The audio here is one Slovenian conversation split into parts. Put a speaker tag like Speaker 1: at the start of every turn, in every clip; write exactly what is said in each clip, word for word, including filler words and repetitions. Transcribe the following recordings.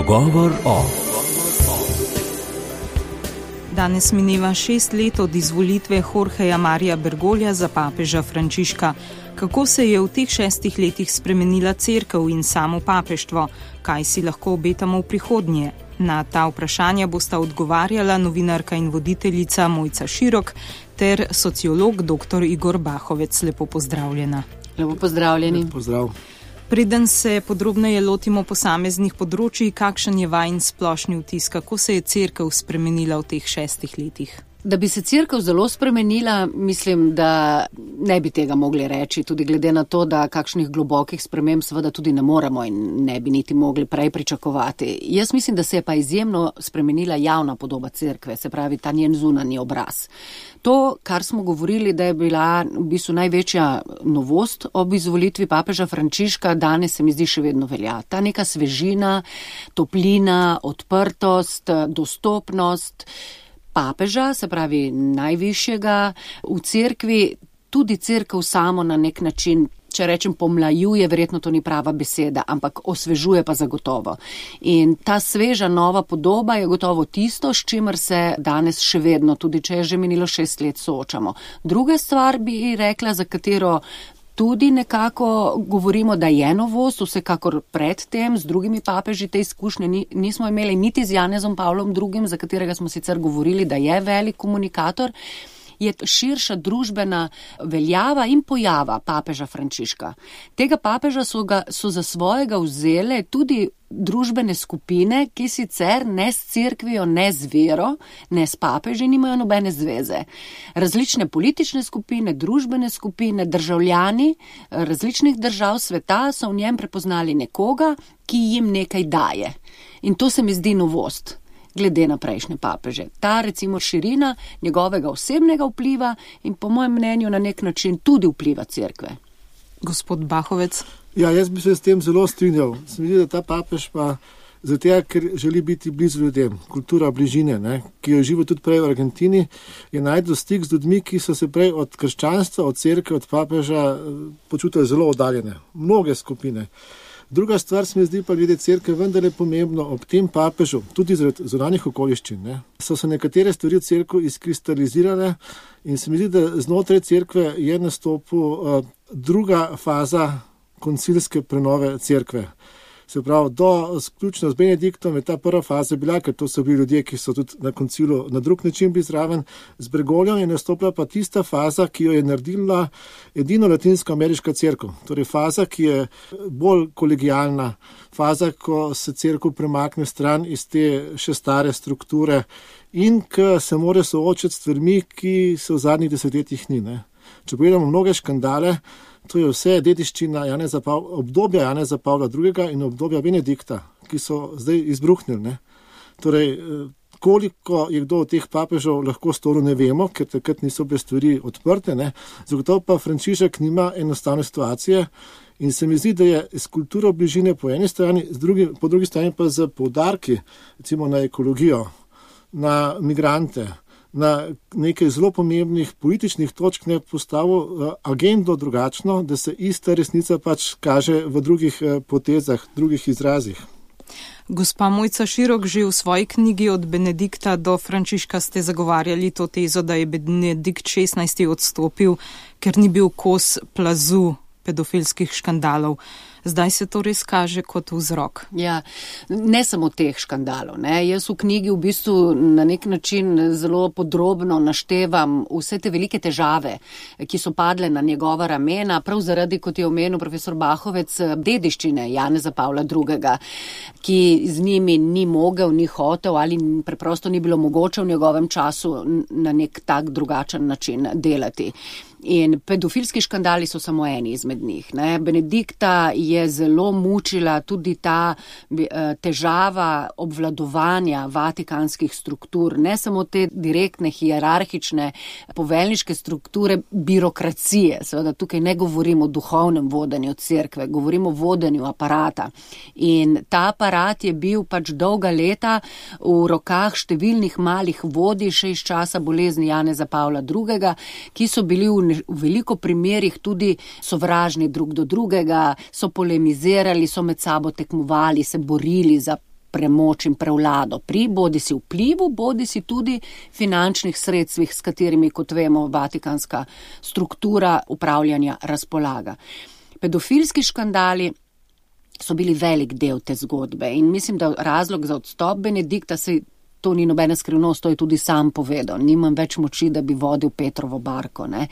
Speaker 1: Pogovor o.
Speaker 2: Danes mineva šest let od izvolitve Jorgeja Marija Bergoglia za papeža Frančiška. Kako se je v teh šestih letih spremenila cerkev in samo papeštvo? Kaj si lahko obetamo v prihodnje? Na ta vprašanja bosta odgovarjala novinarka in voditeljica Mojca Širok ter sociolog dr. Igor Bahovec. Lepo pozdravljena.
Speaker 3: Lepo pozdravljeni.
Speaker 4: Pozdrav.
Speaker 2: Preden se podrobneje lotimo posameznih področij, kakšen je vajin splošni vtis, kako se je cerkev spremenila v teh šestih letih?
Speaker 3: Da bi se cerkev zelo spremenila, mislim, da ne bi tega mogli reči, tudi glede na to, da kakšnih globokih sprememb seveda tudi ne moremo in ne bi niti mogli prej pričakovati. Jaz mislim, da se je pa izjemno spremenila javna podoba cerkve, se pravi ta njen zunanji obraz. To, kar smo govorili, da je bila v bistvu največja novost ob izvolitvi papeža Frančiška, danes se mi zdi še vedno velja. Ta neka svežina, toplina, odprtost, dostopnost papeža, se pravi najvišjega v cerkvi, tudi cerkev samo na nek način, če rečem pomlajuje, verjetno to ni prava beseda, ampak osvežuje pa zagotovo. In ta sveža nova podoba je gotovo tisto, s čimer se danes še vedno, tudi če je že minilo šest let, soočamo. Druga stvar bi rekla, za katero tudi nekako govorimo, da je novost, vsekakor predtem z drugimi papeži te izkušnje ni, nismo imeli niti z Janezom Pavlom drugim, za katerega smo sicer govorili, da je velik komunikator, je širša družbena veljava in pojava papeža Frančiška. Tega papeža so, ga, so za svojega vzele tudi družbene skupine, ki sicer ne s cerkvijo, ne z vero, ne s papeži nimajo nobene zveze. Različne politične skupine, družbene skupine, državljani različnih držav sveta so v njem prepoznali nekoga, ki jim nekaj daje. In to se mi zdi novost glede na prejšnje papeže. Ta recimo širina njegovega osebnega vpliva in po mojem mnenju na nek način tudi vpliva cerkve.
Speaker 2: Gospod Bahovec.
Speaker 4: Ja, jaz bi se s tem zelo strinjal. Se mi zdi, da ta papež pa zato, ker želi biti blizu ljudem, kultura bližine, ne, ki jo živi tudi prej v Argentini, je najdel stik z ljudmi, ki so se prej od krščanstva, od cerkve, od papeža počutili zelo oddaljene. Mnoge skupine. Druga stvar se mi zdi pa glede cerkve vendar je pomembno ob tem papežu, tudi zaradi zunanjih okoliščin, ne, so se nekatere stvari v cerkvi izkristalizirale in se mi zdi, da znotraj cerkve je nastopil uh, druga faza koncilske prenove cerkve. Se pravi, do sključno z Benediktom je ta prva faza bila, ker to so bili ljudje, ki so tudi na koncilu na drug način bili zraven. Z Bergogliom je nastopila pa tista faza, ki jo je naredila edino latinsko-ameriška cerkev. Torej faza, ki je bolj kolegijalna, faza, ko se cerkev premakne stran iz te še stare strukture in ki se mora soočiti s stvarmi, ki se v zadnjih desetletjih ni. Ne? Če pogledamo mnoge škandale, to je vse dediščina Janeza Pavla, obdobja Janeza Pavla drugega in obdobja Benedikta, ki so zdaj izbruhnili. Ne? Torej, koliko je kdo od teh papežev lahko storil, ne vemo, ker takrat niso bile stvari odprte. Ne? Zagotovo pa Frančišek nima enostavne situacije in se mi zdi, da je s kulturo bližine po eni strani, z drugi, po drugi strani pa z poudarki, recimo na ekologijo, na migrante, na nekaj zelo pomembnih političnih točk ne postavil agendo drugačno, da se ista resnica pač kaže v drugih potezah, drugih izrazih.
Speaker 2: Gospa Mojca Širok, že v svoji knjigi Od Benedikta do Frančiška ste zagovarjali to tezo, da je Benedikt šestnajsti odstopil, ker ni bil kos plazu pedofilskih škandalov. Zdaj se to res kaže kot vzrok.
Speaker 3: Ja, ne samo teh škandalov. Ne. Jaz v knjigi v bistvu na nek način zelo podrobno naštevam vse te velike težave, ki so padle na njegova ramena, prav zaradi, kot je omenil profesor Bahovec, dediščine Janeza Pavla drugega, ki z njimi ni mogel, ni hotel ali preprosto ni bilo mogoče v njegovem času na nek tak drugačen način delati. In pedofilski škandali so samo eni izmed njih. Ne. Benedikta je zelo mučila tudi ta težava obvladovanja vatikanskih struktur, ne samo te direktne, hierarhične, poveljniške strukture birokracije. Seveda tukaj ne govorimo o duhovnem vodenju cerkve, govorimo o vodenju aparata. In ta aparat je bil pač dolga leta v rokah številnih malih vodij še iz časa bolezni Janeza Pavla drugega, ki so bili v v veliko primerih tudi sovražni drug do drugega, so polemizirali, so med sabo tekmovali, se borili za premoč in prevlado pri bodi si vplivu, bodi si tudi finančnih sredstvih, s katerimi, kot vemo, vatikanska struktura upravljanja razpolaga. Pedofilski škandali so bili velik del te zgodbe in mislim, da razlog za odstop Benedikta se to ni nobena skrivnost, to je tudi sam povedal. Nimam več moči, da bi vodil Petrovo barko. Ne.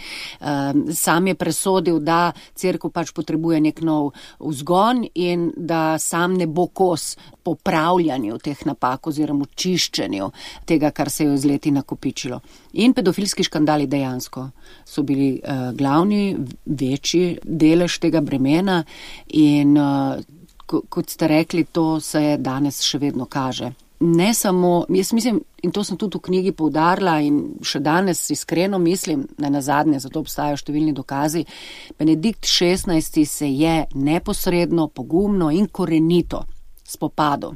Speaker 3: Sam je presodil, da cerkev pač potrebuje nek nov vzgon in da sam ne bo kos popravljanju teh napak oziroma čiščenju tega, kar se je z leti nakopičilo. In pedofilski škandali dejansko so bili uh, glavni, večji delež tega bremena in uh, kot ste rekli, to se danes še vedno kaže. Ne samo, jaz mislim, in to sem tudi v knjigi poudarila in še danes iskreno mislim, ne nazadnje, zato obstajajo številni dokazi, Benedikt šestnajsti se je neposredno, pogumno in korenito spopadel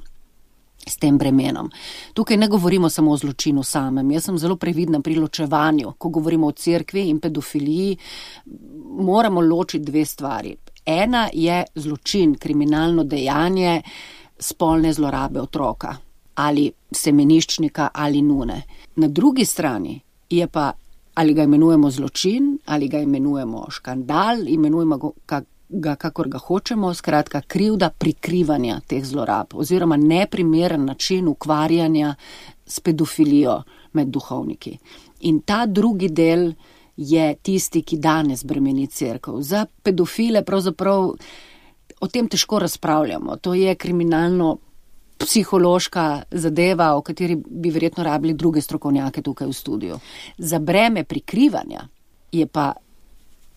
Speaker 3: s tem bremenom. Tukaj ne govorimo samo o zločinu samem, jaz sem zelo previdna pri ločevanju, ko govorimo o cerkvi in pedofiliji, moramo ločiti dve stvari. Ena je zločin, kriminalno dejanje spolne zlorabe otroka ali semeniščnika ali nune. Na drugi strani je pa, ali ga imenujemo zločin, ali ga imenujemo škandal, imenujemo ga, kakor ga hočemo, skratka krivda prikrivanja teh zlorab oziroma neprimeren način ukvarjanja s pedofilijo med duhovniki. In ta drugi del je tisti, ki danes bremeni cerkev. Za pedofile pravzaprav o tem težko razpravljamo. To je kriminalno psihološka zadeva, o kateri bi verjetno rabili druge strokovnjake tukaj v studiu. Za breme prikrivanja je pa,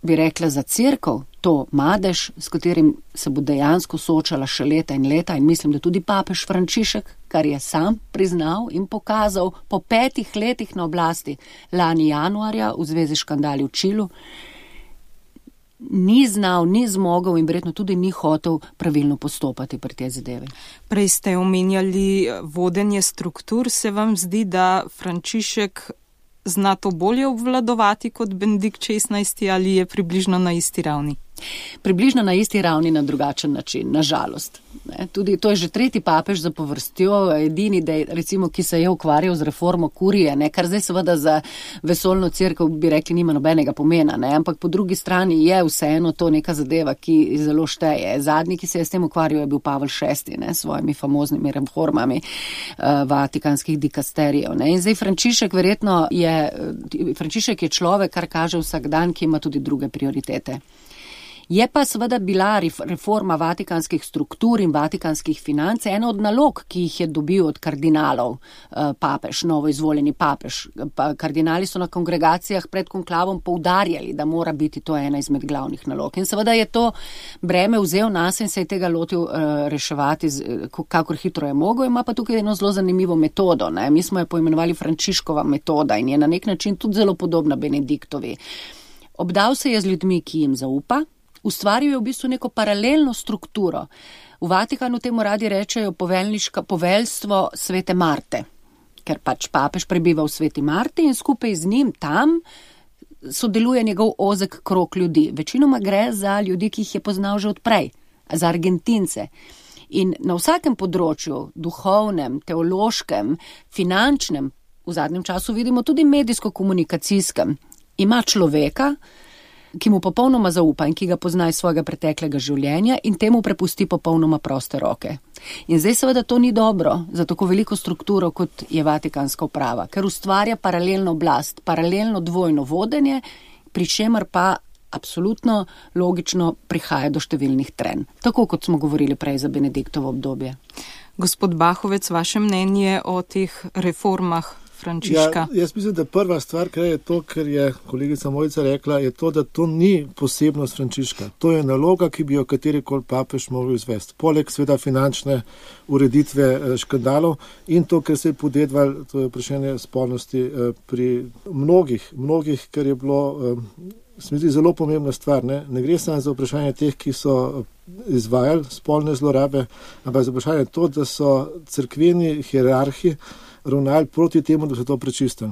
Speaker 3: bi rekla, za cerkev to madež, s katerim se bo dejansko soočala še leta in leta in mislim, da tudi papež Frančišek, kar je sam priznal in pokazal po petih letih na oblasti lani januarja v zvezi s škandali v Čilu, ni znal, ni zmogel in verjetno tudi ni hotel pravilno postopati pri tej zadevi.
Speaker 2: Prej ste omenjali vodenje struktur. Se vam zdi, da Frančišek zna to bolje obvladovati kot Benedikt šestnajsti ali je približno na isti ravni?
Speaker 3: Približno na isti ravni na drugačen način, na žalost. Ne, tudi to je že tretji papež za povrstjo, edini, da je, recimo, ki se je ukvarjal z reformo kurije, ne, kar zdaj seveda za vesoljno cerkev bi rekli nima nobenega pomena, ne, ampak po drugi strani je vseeno to neka zadeva, ki zelo šteje. Zadnji, ki se je s tem ukvarjal, je bil Pavel šesti, ne, s svojimi famoznimi reformami uh, vatikanskih dikasterijev. Ne. In zdaj Frančišek verjetno je, Frančišek je človek, kar kaže vsak dan, ki ima tudi druge prioritete. Je pa seveda bila reforma vatikanskih struktur in vatikanskih financ ena od nalog, ki jih je dobil od kardinalov papež, novo izvoljeni papež. Kardinali so na kongregacijah pred konklavom poudarjali, da mora biti to ena izmed glavnih nalog. In seveda je to breme vzel nas in se je tega lotil reševati, kakor hitro je mogel. Ima pa tukaj eno zelo zanimivo metodo. Ne? Mi smo jo poimenovali Frančiškova metoda in je na nek način tudi zelo podobna Benediktovi. Obdal se je z ljudmi, ki jim zaupa, ustvaril je v bistvu neko paralelno strukturo. V Vatikanu temu radi rečejo poveljniška poveljstvo Svete Marte, ker pač papež prebiva v Sveti Marti in skupaj z njim tam sodeluje njegov ozek krog ljudi. Večinoma gre za ljudi, ki jih je poznal že odprej, za Argentince. In na vsakem področju, duhovnem, teološkem, finančnem, v zadnjem času vidimo tudi medijsko-komunikacijskem, ima človeka, ki mu popolnoma zaupa in ki ga pozna iz svojega preteklega življenja in temu prepusti popolnoma proste roke. In zdaj seveda to ni dobro za tako veliko strukturo, kot je vatikanska uprava, ker ustvarja paralelno oblast, paralelno dvojno vodenje, pri čemer pa absolutno logično prihaja do številnih trenj. Tako kot smo govorili prej za Benediktovo obdobje.
Speaker 2: Gospod Bahovec, vaše mnenje o teh reformah Frančiška?
Speaker 4: Ja, jaz mislim, da prva stvar, kar je to, kar je kolegica Mojca rekla, je to, da to ni posebnost Frančiška. To je naloga, ki bi jo katerikoli papež mogel izvesti. Poleg sveda finančne ureditve škandalov in to, kar se je podedval, to je vprašanje spolnosti pri mnogih, mnogih, kar je bilo, se mi zdi, zelo pomembna stvar. Ne, ne gre samo za vprašanje teh, ki so izvajali spolne zlorabe, ampak za vprašanje to, da so cerkveni hierarhi ravnali proti temu, da so to prečistili.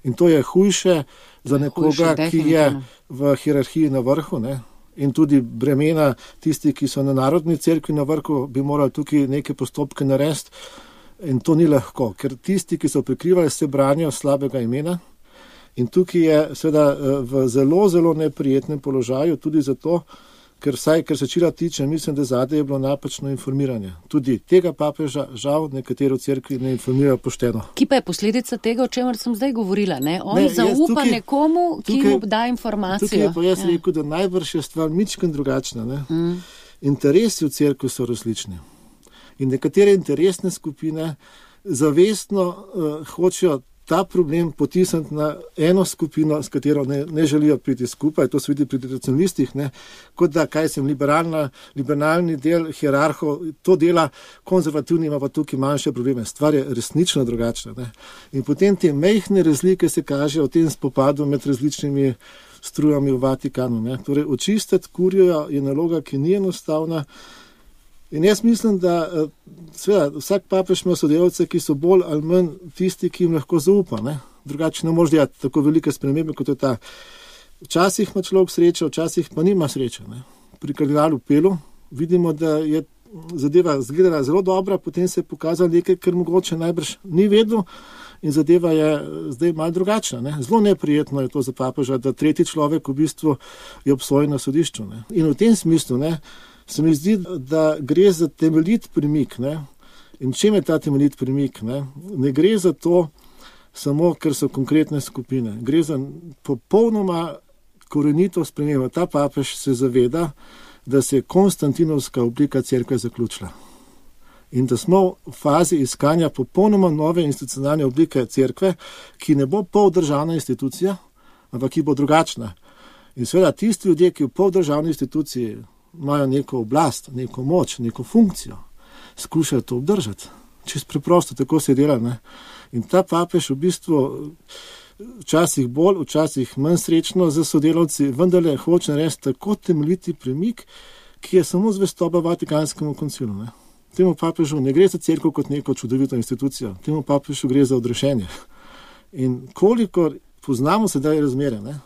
Speaker 4: In to je hujše za nekoga, hujše, ki je v hierarhiji na vrhu, ne? in tudi bremena tisti, ki so na narodni cerkvi na vrhu, bi morali tukaj neke postopke narediti in to ni lahko, ker tisti, ki so prikrivali, se branijo slabega imena in tukaj je seveda v zelo, zelo neprijetnem položaju tudi zato, ker vsaj, ker se čila tiče, mislim, da zadaj je bilo napačno informiranje. Tudi tega papeža žal nekatero cerkvi ne informirajo pošteno.
Speaker 3: Ki pa je posledica tega, o čemer sem zdaj govorila, ne? On
Speaker 4: ne,
Speaker 3: zaupa
Speaker 4: tukaj,
Speaker 3: nekomu, ki
Speaker 4: tukaj,
Speaker 3: mu da informacijo.
Speaker 4: Tukaj je pa jaz
Speaker 3: ja.
Speaker 4: rekel, da najbrž je stvar mičken drugačna. Ne?
Speaker 3: Mm.
Speaker 4: Interesi v cerkvi so različni. In nekatere interesne skupine zavestno uh, hočejo ta problem potisniti na eno skupino, s katero ne, ne želijo priti skupaj, to se vidi pri tradicionalistih, ne, kot da, kaj sem, liberalna, liberalni del hierarhov, to dela konzervativni, ima pa tukaj manjše probleme. Stvar je resnično drugačna. Ne. In potem te mejhne razlike se kažejo v tem spopadu med različnimi strujami v Vatikanu. Ne. Torej, očistiti kurijo je naloga, ki ni enostavna. In jaz mislim, da seveda, vsak papež ima sodelavce, ki so bolj ali manj tisti, ki jim lahko zaupa. Ne? Drugače ne može delati tako velike spremembe, kot je ta. Včasih ima človek srečo, včasih pa nima sreče. Ne? Pri kardinalu Pelu vidimo, da je zadeva izgledala zelo dobra, potem se je pokazalo nekaj, kar mogoče najbrž ni vedel in zadeva je zdaj malo drugačna. Ne? Zelo neprijetno je to za papeža, da tretji človek v bistvu je obsojen na sodišču. Ne? In v tem smislu, ne, se mi zdi, da gre za temeljit premik. Ne? In čem je ta temeljit premik? Ne? Ne gre za to samo, ker so konkretne skupine. Gre za popolnoma korenito spremembo. Ta papež se zaveda, da se je konstantinovska oblika cerkve zaključila. In da smo v fazi iskanja popolnoma nove institucionalne oblike cerkve, ki ne bo poldržavna institucija, ampak ki bo drugačna. In seveda tisti ljudje, ki v poldržavni instituciji imajo neko oblast, neko moč, neko funkcijo, skušajo to obdržati. Čisto preprosto, tako se dela. Ne? In ta papež v bistvu včasih bolj, včasih manj srečno za sodelavci, vendarle hoče narediti tako temeljiti premik, ki je samo zvestoba Vatikanskemu koncilu. Ne? Temu papežu ne gre za cerkev kot neko čudovito institucijo, temu papežu gre za odrešenje. In kolikor poznamo sedaj razmere, ne?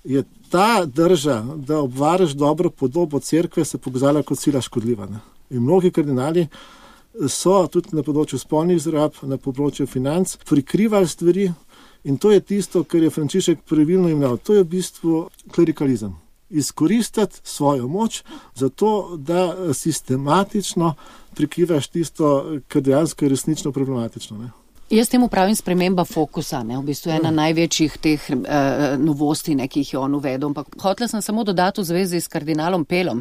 Speaker 4: Je ta drža, da obvaraš dobro podobo cerkve, se pokazala kot sila škodljiva. Ne? In mnogi kardinali so tudi na področju spolnih zlorab, na področju financ, prikrivali stvari in to je tisto, kar je Frančišek pravilno imel. To je v bistvu klerikalizem. Izkoristiti svojo moč za to, da sistematično prikrivaš tisto, kar dejansko je resnično problematično. Ne?
Speaker 3: Jaz temu pravim sprememba fokusa, ne, v bistvu ena največjih teh uh, novosti, ne, ki jih je on uvedel. Ampak hotela sem samo dodati v zvezi s kardinalom Pelom.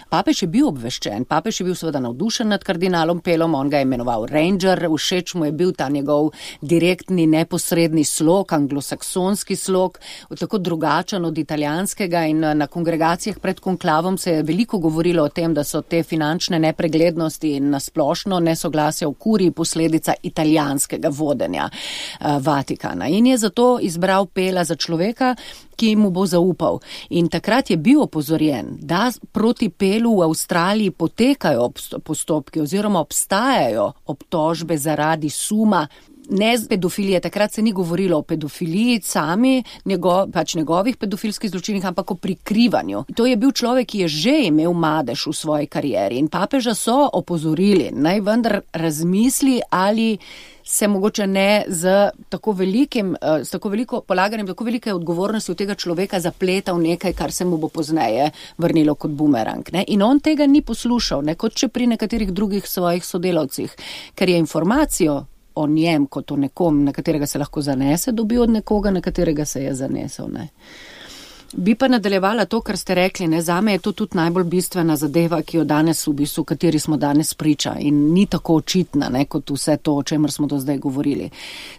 Speaker 3: Papež je bil obveščen, papež je bil seveda navdušen nad kardinalom Pelom, on ga je imenoval Ranger, všeč mu je bil ta njegov direktni, neposredni slog, anglosaksonski slog, tako drugačen od italijanskega in na kongregacijah pred konklavom se je veliko govorilo o tem, da so te finančne nepreglednosti in nasplošno nesoglasja v kuriji posledica italijanskega vodenja uh, Vatikana. In je zato izbral Pela za človeka, ki mu bo zaupal. In takrat je bil opozorjen, da proti Pelu v Avstraliji potekajo postopki oziroma obstajajo obtožbe zaradi suma ne z pedofilije, takrat se ni govorilo o pedofiliji sami, njego, pač njegovih pedofilskih zločinih, ampak o prikrivanju. To je bil človek, ki je že imel madež v svoji karieri in papeža so opozorili, naj vendar razmisli, ali se mogoče ne z tako velikim, s tako veliko polaganjem, tako velike odgovornosti od tega človeka zapleta v nekaj, kar se mu bo pozneje vrnilo kot bumerang. Ne? In on tega ni poslušal, ne? Kot če pri nekaterih drugih svojih sodelavcih, ker je informacijo o njem kot o nekom, na katerega se lahko zanese, dobil od nekoga, na katerega se je zanesel. Ne? Bi pa nadaljevala to, kar ste rekli, ne, zame je to tudi najbolj bistvena zadeva, ki jo danes v bistvu, kateri smo danes priča in ni tako očitna, ne, kot vse to, o čemer smo do zdaj govorili.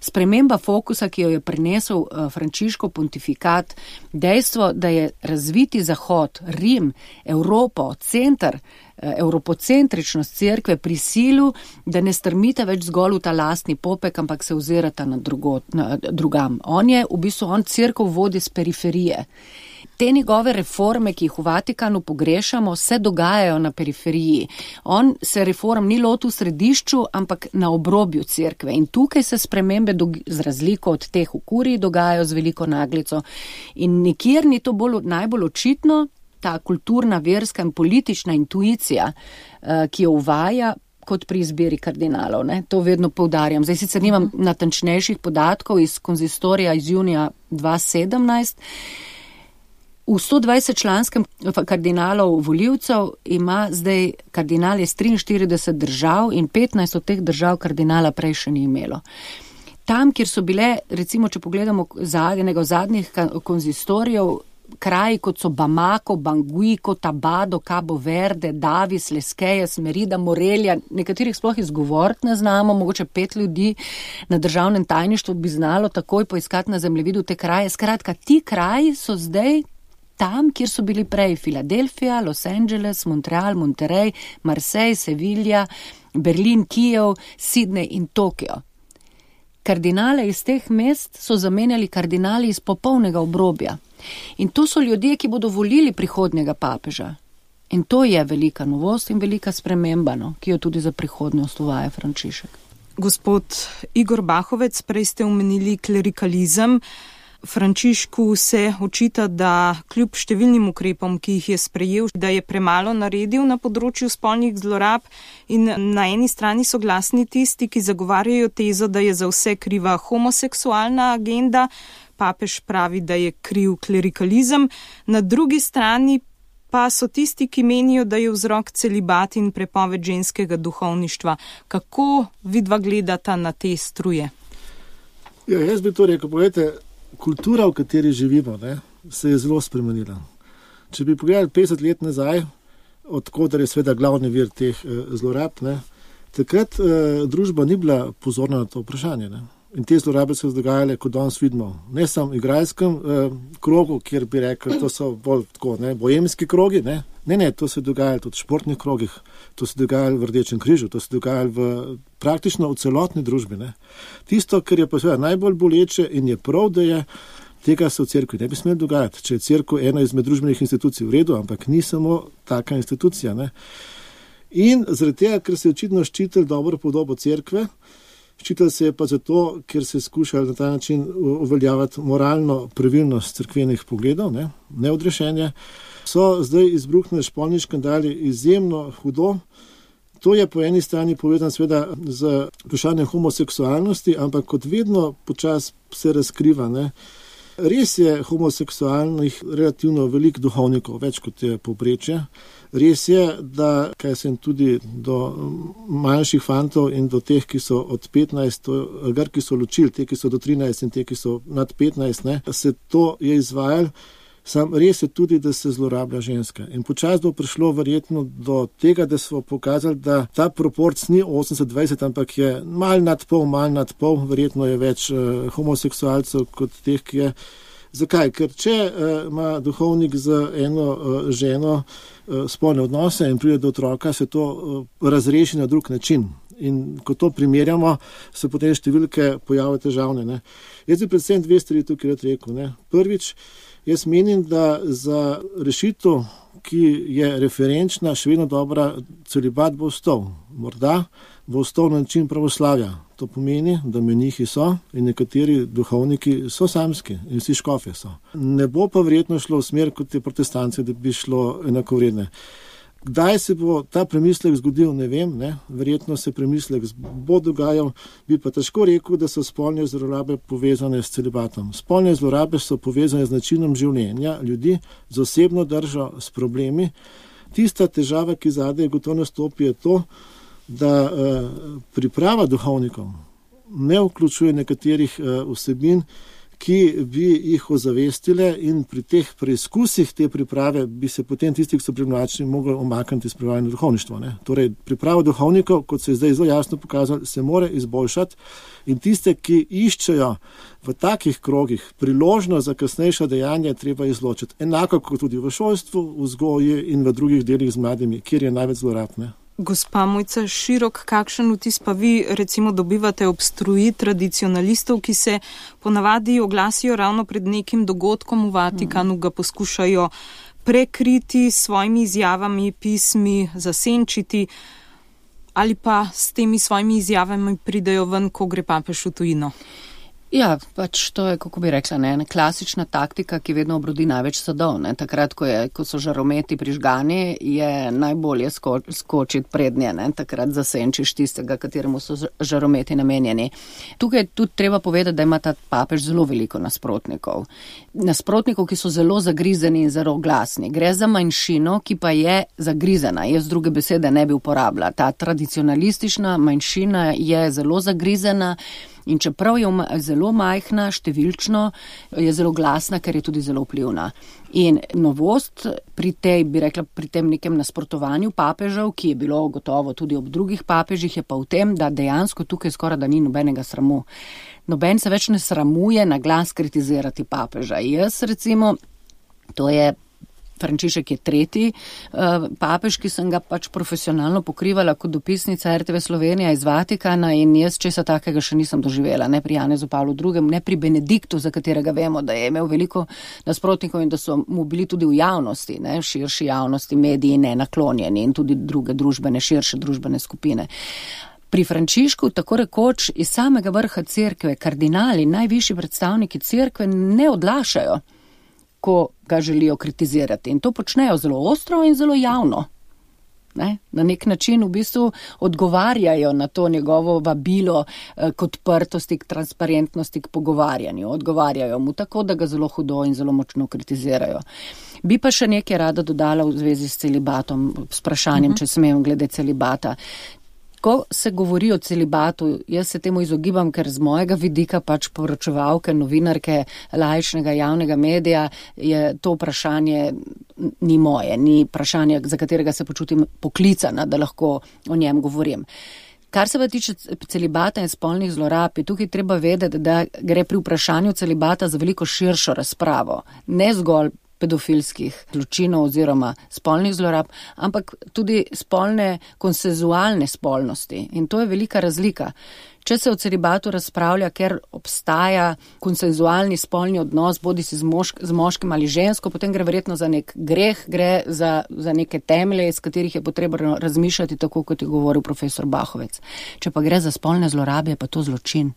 Speaker 3: Sprememba fokusa, ki jo je prinesel uh, Frančiškov pontifikat, dejstvo, da je razviti Zahod, Rim, Evropo, center, evropocentričnost cerkve prisilu, da ne strmite več zgolj v ta lastni popek, ampak se ozirata na, drugo, na drugam. On je, v bistvu, on cerkev vodi z periferije. Te njegove reforme, ki jih v Vatikanu pogrešamo, se dogajajo na periferiji. On se reform ni lotil v središču, ampak na obrobju cerkve. In tukaj se spremembe z razliko od teh v kuriji dogajajo z veliko naglico. In nikjer ni to bolj, najbolj očitno, ta kulturna, verska in politična intuicija, ki jo uvaja kot pri izbiri kardinalov. Ne? To vedno poudarjam. Zdaj sicer nimam natančnejših podatkov iz konzistorija iz junija dva tisoč sedemnajst. V sto dvajset članskem kardinalov voljivcev ima zdaj kardinal iz triinštirideset držav in petnajst od teh držav kardinala prej še ni imelo. Tam, kjer so bile, recimo, če pogledamo enega zadnjih konzistorijev, kraji kot so Bamako, Bangui, Cotabado, Cabo Verde, Davis, Lesquelles, Merida, Morelia, nekaterih sploh izgovoriti ne znamo, mogoče pet ljudi na državnem tajništvu bi znalo takoj poiskati na zemljevidu te kraje. Skratka, ti kraji so zdaj tam, kjer so bili prej Filadelfija, Los Angeles, Montreal, Monterey, Marseille, Sevilla, Berlin, Kijev, Sydney in Tokio. Kardinale iz teh mest so zamenjali kardinali iz popolnega obrobja. In to so ljudje, ki bodo volili prihodnjega papeža. In to je velika novost in velika sprememba, no, ki jo tudi za prihodnost uvaja Frančišek.
Speaker 2: Gospod Igor Bahovec, prej ste omenili klerikalizem. Frančišku se očita, da kljub številnim ukrepom, ki jih je sprejel, da je premalo naredil na področju spolnih zlorab, in na eni strani so glasni tisti, ki zagovarjajo tezo, da je za vse kriva homoseksualna agenda. Papež pravi, da je kriv klerikalizem. Na drugi strani pa so tisti, ki menijo, da je vzrok celibat in prepoved ženskega duhovništva. Kako vidva gledata na te struje?
Speaker 4: Ja, jaz bi to rekel, pogledajte, kultura, v kateri živimo, ne, se je zelo spremenila. Če bi pogledali petdeset let nazaj, odkudar je seveda glavni vir teh eh, zlorab, ne, takrat eh, družba ni bila pozorna na to vprašanje. Ne. In te zlorabe so se dogajale, kot danes vidimo, ne samo v igralskem eh, krogu, kjer bi rekel, to so bolj tako, ne, bojemski krogi, ne. Ne, ne, to se dogajalo tudi v športnih krogih, to se dogajalo v Rdečem križu, to se dogajalo v, praktično v celotni družbi. Ne. Tisto, kar je pa seveda najbolj boleče in je prav, da je, tega se v cerkvi ne bi smelo dogajati. Če je cerkev ena izmed družbenih institucij, v redu, ampak ni samo taka institucija. Ne. In zaradi tega, ker se je očitno ščitili dobro podobo cerkve, ščitili se je pa zato, ker se je skušali na ta način uveljavati moralno pravilnost cerkvenih pogledov, ne, neodrešenje, so zdaj izbruhnili spolni škandali izjemno hudo. To je po eni strani povezano seveda z vprašanjem homoseksualnosti, ampak kot vedno počasi se razkriva. Ne. Res je homoseksualnih relativno veliko duhovnikov, več kot je povprečje. Res je, da kaj sem tudi do manjših fantov in do teh, ki so od petnajst, gar ki so ločili, te, ki so do trinajst in te, ki so nad petnajst, ne, se to je izvajalo. Sam res je tudi, da se zlorablja ženska. In počasi bo prišlo verjetno do tega, da smo pokazali, da ta proporc ni osemdeset dvajset, ampak je mal nad pol, mal nad pol, verjetno je več uh, homoseksualcev kot teh, ki je. Zakaj? Ker če uh, ima duhovnik z eno uh, ženo uh, spolne odnose in pride do otroka, se to uh, razreši na drug način. In ko to primerjamo, se potem številke pojavljajo težavne. Ne? Jaz bi predvsem dve stvari tukaj rad rekel. Ne? Prvič, jaz menim, da za rešitev, ki je referenčna, še vedno dobra, celibat bo ostal. Morda bo ostal na način pravoslavja. To pomeni, da menihi so in nekateri duhovniki so samski in vsi škofje so. Ne bo pa verjetno šlo v smer kot te protestance, da bi šlo enakovredne. Kdaj se bo ta premislek zgodil, ne vem, ne? Verjetno se premislek bo dogajal, bi pa težko rekel, da so spolne zlorabe povezane s celibatom. Spolne zlorabe so povezane z načinom življenja ljudi, z osebno držo, s problemi. Tista težava, ki zadaj gotovo nastopi, je to, da eh, priprava duhovnikov ne vključuje nekaterih eh, vsebin, ki bi jih ozavestile, in pri teh preizkusih te priprave bi se potem tisti, ki so privlačni, mogli omakniti spremljanje duhovništva. Ne? Torej, priprava duhovnikov, kot se je zdaj zelo jasno pokazalo, se more izboljšati, in tiste, ki iščejo v takih krogih priložnost za kasnejša dejanja, treba izločiti. Enako kot tudi v šolstvu, v vzgoji in v drugih delih z mladimi, kjer je največ zlorab. Ne?
Speaker 2: Gospa Mojca Širok, kakšen vtis pa vi recimo dobivate ob struji tradicionalistov, ki se ponavadi oglasijo ravno pred nekim dogodkom v Vatikanu, ga poskušajo prekriti s svojimi izjavami, pismi, zasenčiti, ali pa s temi svojimi izjavami pridejo ven, ko gre papež v tujino?
Speaker 3: Ja, pač to je, kako bi rekla, ne, klasična taktika, ki vedno obrodi največ sadov. Ne. Takrat, ko, je, ko so žarometi prižgani, je najbolje sko, skočiti prednje, ne. Takrat zasenčiš tistega, kateremu so žarometi namenjeni. Tukaj je tudi treba povedati, da ima ta papež zelo veliko nasprotnikov. Nasprotnikov, ki so zelo zagrizeni in zelo glasni. Gre za manjšino, ki pa je zagrizena. Jaz druge besede ne bi uporabila. Ta tradicionalistična manjšina je zelo zagrizena. In čeprav je zelo majhna, številčno, je zelo glasna, ker je tudi zelo vplivna. In novost pri tej, bi rekla, pri tem nekem nasprotovanju papežev, ki je bilo gotovo tudi ob drugih papežih, je pa v tem, da dejansko tukaj skoraj da ni nobenega sramu. Noben se več ne sramuje na glas kritizirati papeža. Jaz recimo, to je Frančišek je tretji uh, papež, ki sem ga pač profesionalno pokrivala kot dopisnica er te ve Slovenija iz Vatikana in jaz česa takega še nisem doživela, ne pri Janezu Pavlu drugem, ne pri Benediktu, za katerega vemo, da je imel veliko nasprotnikov in da so mu bili tudi v javnosti, ne, širši javnosti, mediji ne naklonjeni in tudi druge družbene, širše družbene skupine. Pri Frančišku, tako rekoč, iz samega vrha cerkve, kardinali, najvišji predstavniki cerkve ne odlašajo, ko ga želijo kritizirati. In to počnejo zelo ostro in zelo javno. Ne? Na nek način v bistvu odgovarjajo na to njegovo vabilo eh, k odprtosti, k transparentnosti, k pogovarjanju. Odgovarjajo mu tako, da ga zelo hudo in zelo močno kritizirajo. Bi pa še nekaj rada dodala v zvezi s celibatom, s vprašanjem, uh-huh. če smem glede celibata. Ko se govori o celibatu, jaz se temu izogibam, ker z mojega vidika pač poročevalke, novinarke, laičnega javnega medija je to vprašanje ni moje, ni vprašanje, za katerega se počutim poklicana, da lahko o njem govorim. Kar se pa tiče celibata in spolnih zlorab, je tukaj treba vedeti, da gre pri vprašanju celibata za veliko širšo razpravo, ne zgolj pedofilskih zločinov oziroma spolnih zlorab, ampak tudi spolne, konsenzualne spolnosti. In to je velika razlika. Če se o celibatu razpravlja, ker obstaja konsenzualni spolni odnos, bodi si z, mošk, z moškim ali žensko, potem gre verjetno za nek greh, gre za, za neke temelje, iz katerih je potrebno razmišljati, tako kot je govoril profesor Bahovec. Če pa gre za spolne zlorabe, je pa to zločin.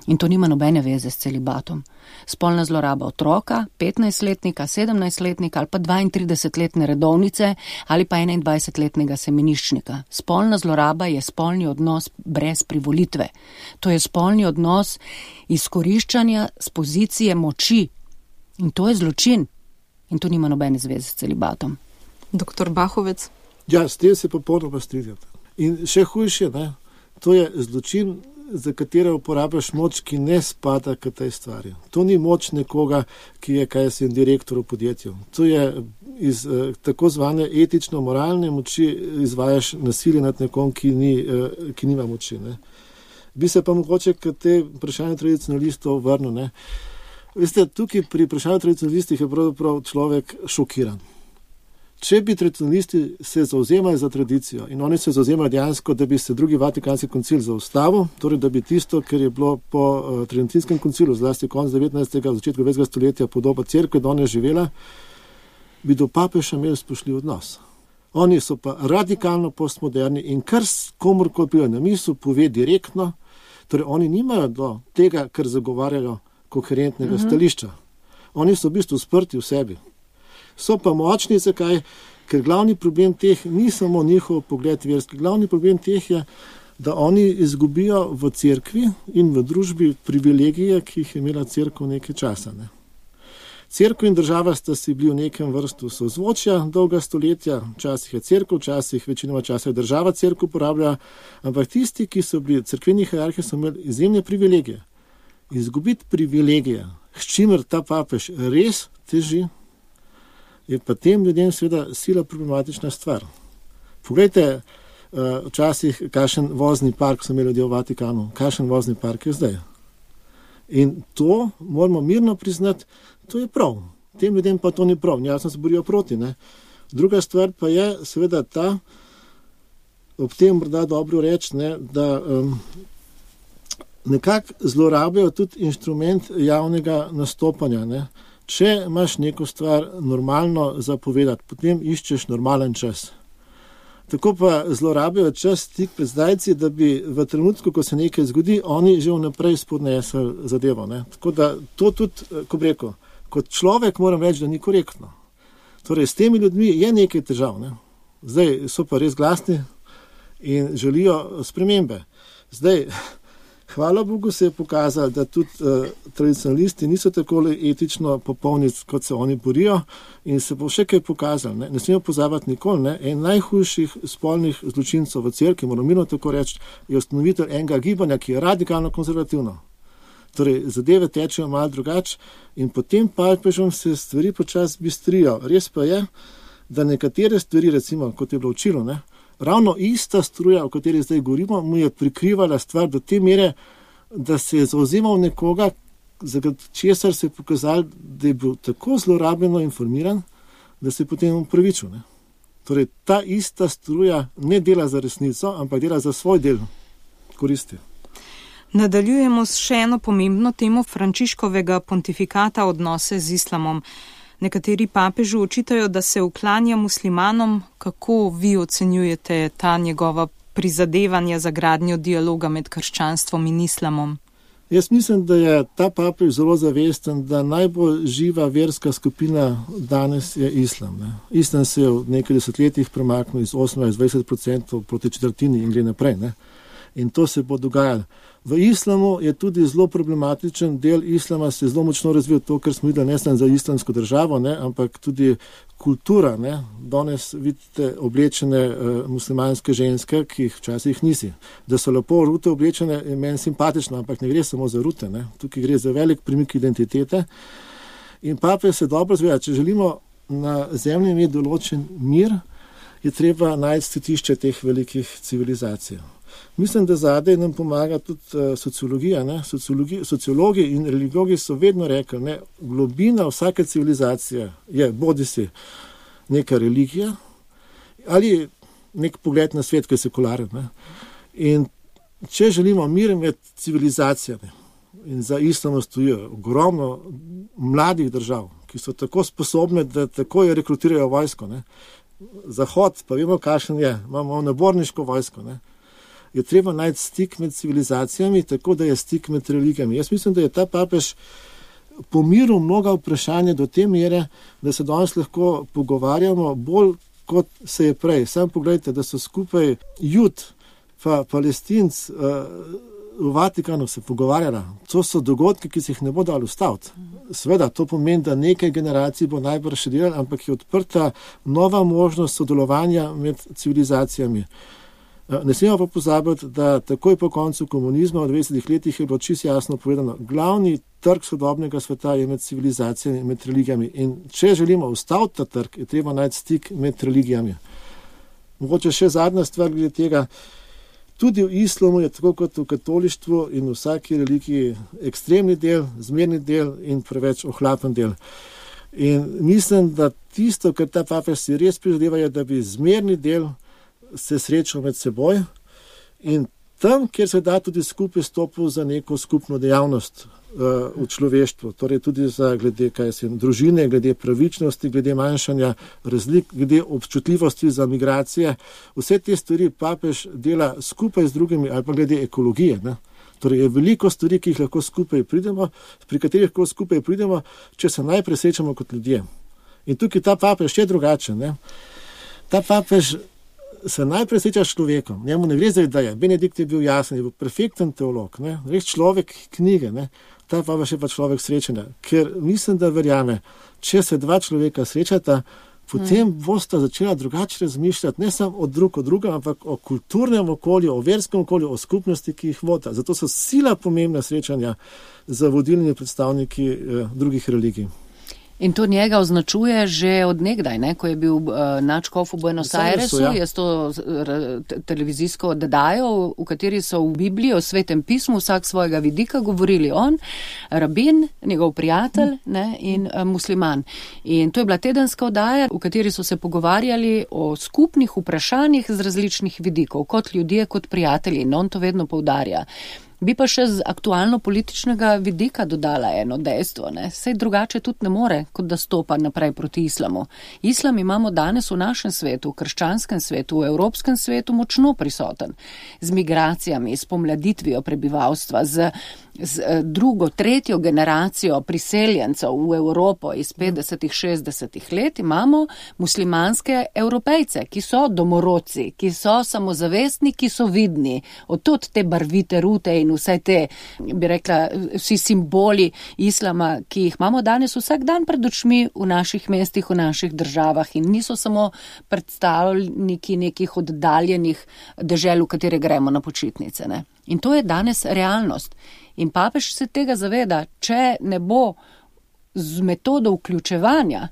Speaker 3: In to nima nobene veze s celibatom. Spolna zloraba otroka, petnajstletnika, sedemnajstletnika ali pa dvaintridesetletne redovnice ali pa enaindvajsetletnega semeniščnika. Spolna zloraba je spolni odnos brez privolitve. To je spolni odnos izkoriščanja z pozicije moči. In to je zločin. In to nima nobene zveze s celibatom.
Speaker 2: Doktor Bahovec?
Speaker 4: Ja, s tem se popolnoma strinjate. In še hujše, ne, to je zločin, za katero uporabljaš moč, ki ne spada k tej stvari. To ni moč nekoga, ki je, kaj sem direktor v podjetju. To je iz eh, tako zvane etično-moralne moči izvajaš nasilje nad nekom, ki, ni, eh, ki nima moči. Ne. Bi se pa mogoče k te vprašanje tradicionalistov vrnil. Ne. Veste, tukaj pri vprašanju tradicionalistih je pravzaprav človek šokiran. Če bi tradicionalisti se zauzemali za tradicijo in oni se zauzemali dejansko, da bi se drugi Vatikanski koncil zaustavil, torej da bi tisto, kar je bilo po uh, Tridentinskem koncilu, zlasti konec devetnajstega, začetku dvajsetega stoletja podoba cerkve, da ona je živela, bi do papeža imeli spoštljiv odnos. Oni so pa radikalno postmoderni in kar komorkoli pride na misel, pove direktno, torej oni nimajo do tega, kar zagovarjajo koherentnega uh-huh. stališča. Oni so v bistvu sprti v sebi. So pa močni, zakaj? Ker glavni problem teh ni samo njihov pogled verski. Glavni problem teh je, da oni izgubijo v cerkvi in v družbi privilegije, ki jih je imela cerkev nekaj časa. Ne? Cerkev in država sta si bili v nekem vrstu sozvočja dolga stoletja, včasih je cerkev, včasih večinoma časa je država cerkev uporablja, ampak tisti, ki so bili cerkveni hierarhi, so imeli izjemne privilegije. Izgubiti privilegije, s čimer ta papež res teži, je pa tem ljudem seveda sila problematična stvar. Poglejte, včasih, kakšen vozni park so imeli ljudje v Vatikanu, kakšen vozni park je zdaj. In to moramo mirno priznati, to je prav. Tem ljudem pa to ni prav, jasno se borijo proti. Ne? Druga stvar pa je seveda ta, ob tem morda dobro reči, ne, da um, nekako zlorabljajo tudi inštrument javnega nastopanja, ne. Če imaš neko stvar normalno zapovedati, potem iščeš normalen čas. Tako pa zlorabijo čas tik pred zdajci, da bi v trenutku, ko se nekaj zgodi, oni že vnaprej spodnesli zadevo. Ne? Tako da to tudi, ko bi rekel, kot človek moram reči, da ni korektno. Torej, s temi ljudmi je nekaj težav. Ne? Zdaj so pa res glasni in želijo spremembe. Zdaj, hvala Bogu se je pokazalo, da tudi uh, tradicionalisti niso tako etično popolni, kot se oni borijo in se bo še kaj pokazalo. Ne, ne smemo pozabiti nikoli. Ne. En najhujših spolnih zločincev v cerkvi, moramo mirno tako reči, je ustanovitelj enega gibanja, ki je radikalno konzervativno. Torej, zadeve tečejo malo drugače in potem papežom se stvari počasi bistrijo. Res pa je, da nekatere stvari, recimo, kot je bilo učilo, ne, ravno ista struja, o kateri zdaj govorimo, mu je prikrivala stvar do te mere, da se je zauzemal nekoga, za česar se je pokazal, da je bil tako zlorabljeno informiran, da se je potem upravičil. Ne. Torej, ta ista struja ne dela za resnico, ampak dela za svoj del koristi.
Speaker 2: Nadaljujemo s še eno pomembno temo Frančiškovega pontifikata odnose z islamom. Nekateri papežu očitajo, da se uklanja muslimanom. Kako vi ocenjujete ta njegova prizadevanja za gradnjo dialoga med krščanstvom in islamom?
Speaker 4: Jaz mislim, da je ta papež zelo zavesten, da najbolj živa verska skupina danes je islam. Ne. Islam se je v nekaj desetletjih premaknil iz osemnajst do dvajset procentov proti četrtini in gre naprej. Ne. In to se bo dogajalo. V islamu je tudi zelo problematičen del islama, se je zelo močno razvil to, kar smo videli ne samo za islamsko državo, ne, ampak tudi kultura. Ne. Danes vidite oblečene uh, muslimanske ženske, ki jih včasih nisi. Da so lepo rute oblečene, je meni simpatično, ampak ne gre samo za rute. Ne. Tukaj gre za velik premik identitete. In papež se dobro zveda, če želimo na zemlji imeti določen mir, je treba najti statišče teh velikih civilizacij. Mislim, da zadaj nam pomaga tudi uh, sociologija. Ne? Sociologi, sociologi in religijogi so vedno rekli, ne, globina vsake civilizacije je bodisi neka religija ali nek pogled na svet, ki je sekularen. Ne? In če želimo mir med civilizacijami, in za islamom stojijo ogromno mladih držav, ki so tako sposobne, da takoj rekrutirajo vojsko. Ne? Zahod, pa vemo, kakšen je, imamo naborniško vojsko. Ne? Je treba najti stik med civilizacijami, tako da je stik med religijami. Jaz mislim, da je ta papež pomiril mnoga vprašanja do te mere, da se danes lahko pogovarjamo bolj, kot se je prej. Sam pogledajte, da so skupaj Jud pa Palestinc uh, v Vatikanu se pogovarjala. To so dogodki, ki se jih ne bo dalo ustaviti. Seveda, to pomeni, da nekaj generacij bo najbrž še delalo, ampak je odprta nova možnost sodelovanja med civilizacijami. Ne smemo pa pozabiti, da takoj po koncu komunizma v dvajsetih letih je bilo čisto jasno povedano, glavni trg sodobnega sveta je med civilizacijami in med religijami. In če želimo ustaviti ta trg, je treba najti stik med religijami. Mogoče še zadnja stvar glede tega. Tudi v islamu je tako kot v katolištvu in v vsaki religiji ekstremni del, zmerni del in preveč ohlapen del. In mislim, da tisto, kar ta papež si res prizadeva, je, da bi zmerni del se srečal med seboj in tam, kjer se da tudi skupaj stopil za neko skupno dejavnost uh, v človeštvu, torej tudi za glede kaj se, družine, glede pravičnosti, glede manjšanja razlik, glede občutljivosti za migracije. Vse te stvari papež dela skupaj z drugimi ali pa glede ekologije. Ne? Torej je veliko stvari, ki jih lahko skupaj pridemo, pri katerih lahko skupaj pridemo, če se najprej srečamo kot ljudje. In tukaj ta papež je drugačen. Ne? Ta papež se najprej sreča s človekom. Njemu ne gre za ideje. Benedikt je bil jasen, je bil perfekten teolog. Ne? Res človek knjige. Ne? Ta pa še pa človek srečanja. Ker mislim, da verjame, če se dva človeka srečata, potem hmm. bosta začela drugače razmišljati, ne samo o drug o drugem, ampak o kulturnem okolju, o verskem okolju, o skupnosti, ki jih vota. Zato so sila pomembna srečanja za vodilnimi predstavniki eh, drugih religij.
Speaker 3: In to njega označuje že od nekdaj, ne? Ko je bil uh, nadškof v Buenos Airesu, ja. Je to uh, televizijsko oddajo, v kateri so v Bibliji, o Svetem pismu, vsak svojega vidika govorili on, rabin, njegov prijatelj mm. ne? in uh, musliman. In to je bila tedenska oddaja, v kateri so se pogovarjali o skupnih vprašanjih z različnih vidikov, kot ljudje, kot prijatelji. In on to vedno poudarja. Bi pa še z aktualno političnega vidika dodala eno dejstvo, ne. Sej drugače tudi ne more, kot da stopa naprej proti islamu. Islam imamo danes v našem svetu, v krščanskem svetu, v evropskem svetu močno prisoten. Z migracijami, s pomladitvijo prebivalstva, z, z drugo, tretjo generacijo priseljencev v Evropo iz petdesetih, šestdesetih let imamo muslimanske Evropejce, ki so domorodci, ki so samozavestni, ki so vidni. Od te barvite rute in vse te, bi rekla, vsi simboli islama, ki jih imamo danes vsak dan pred očmi v naših mestih, v naših državah in niso samo predstavniki nekih oddaljenih dežel, v katere gremo na počitnice, ne. In to je danes realnost. In papež se tega zaveda, če ne bo z metodo vključevanja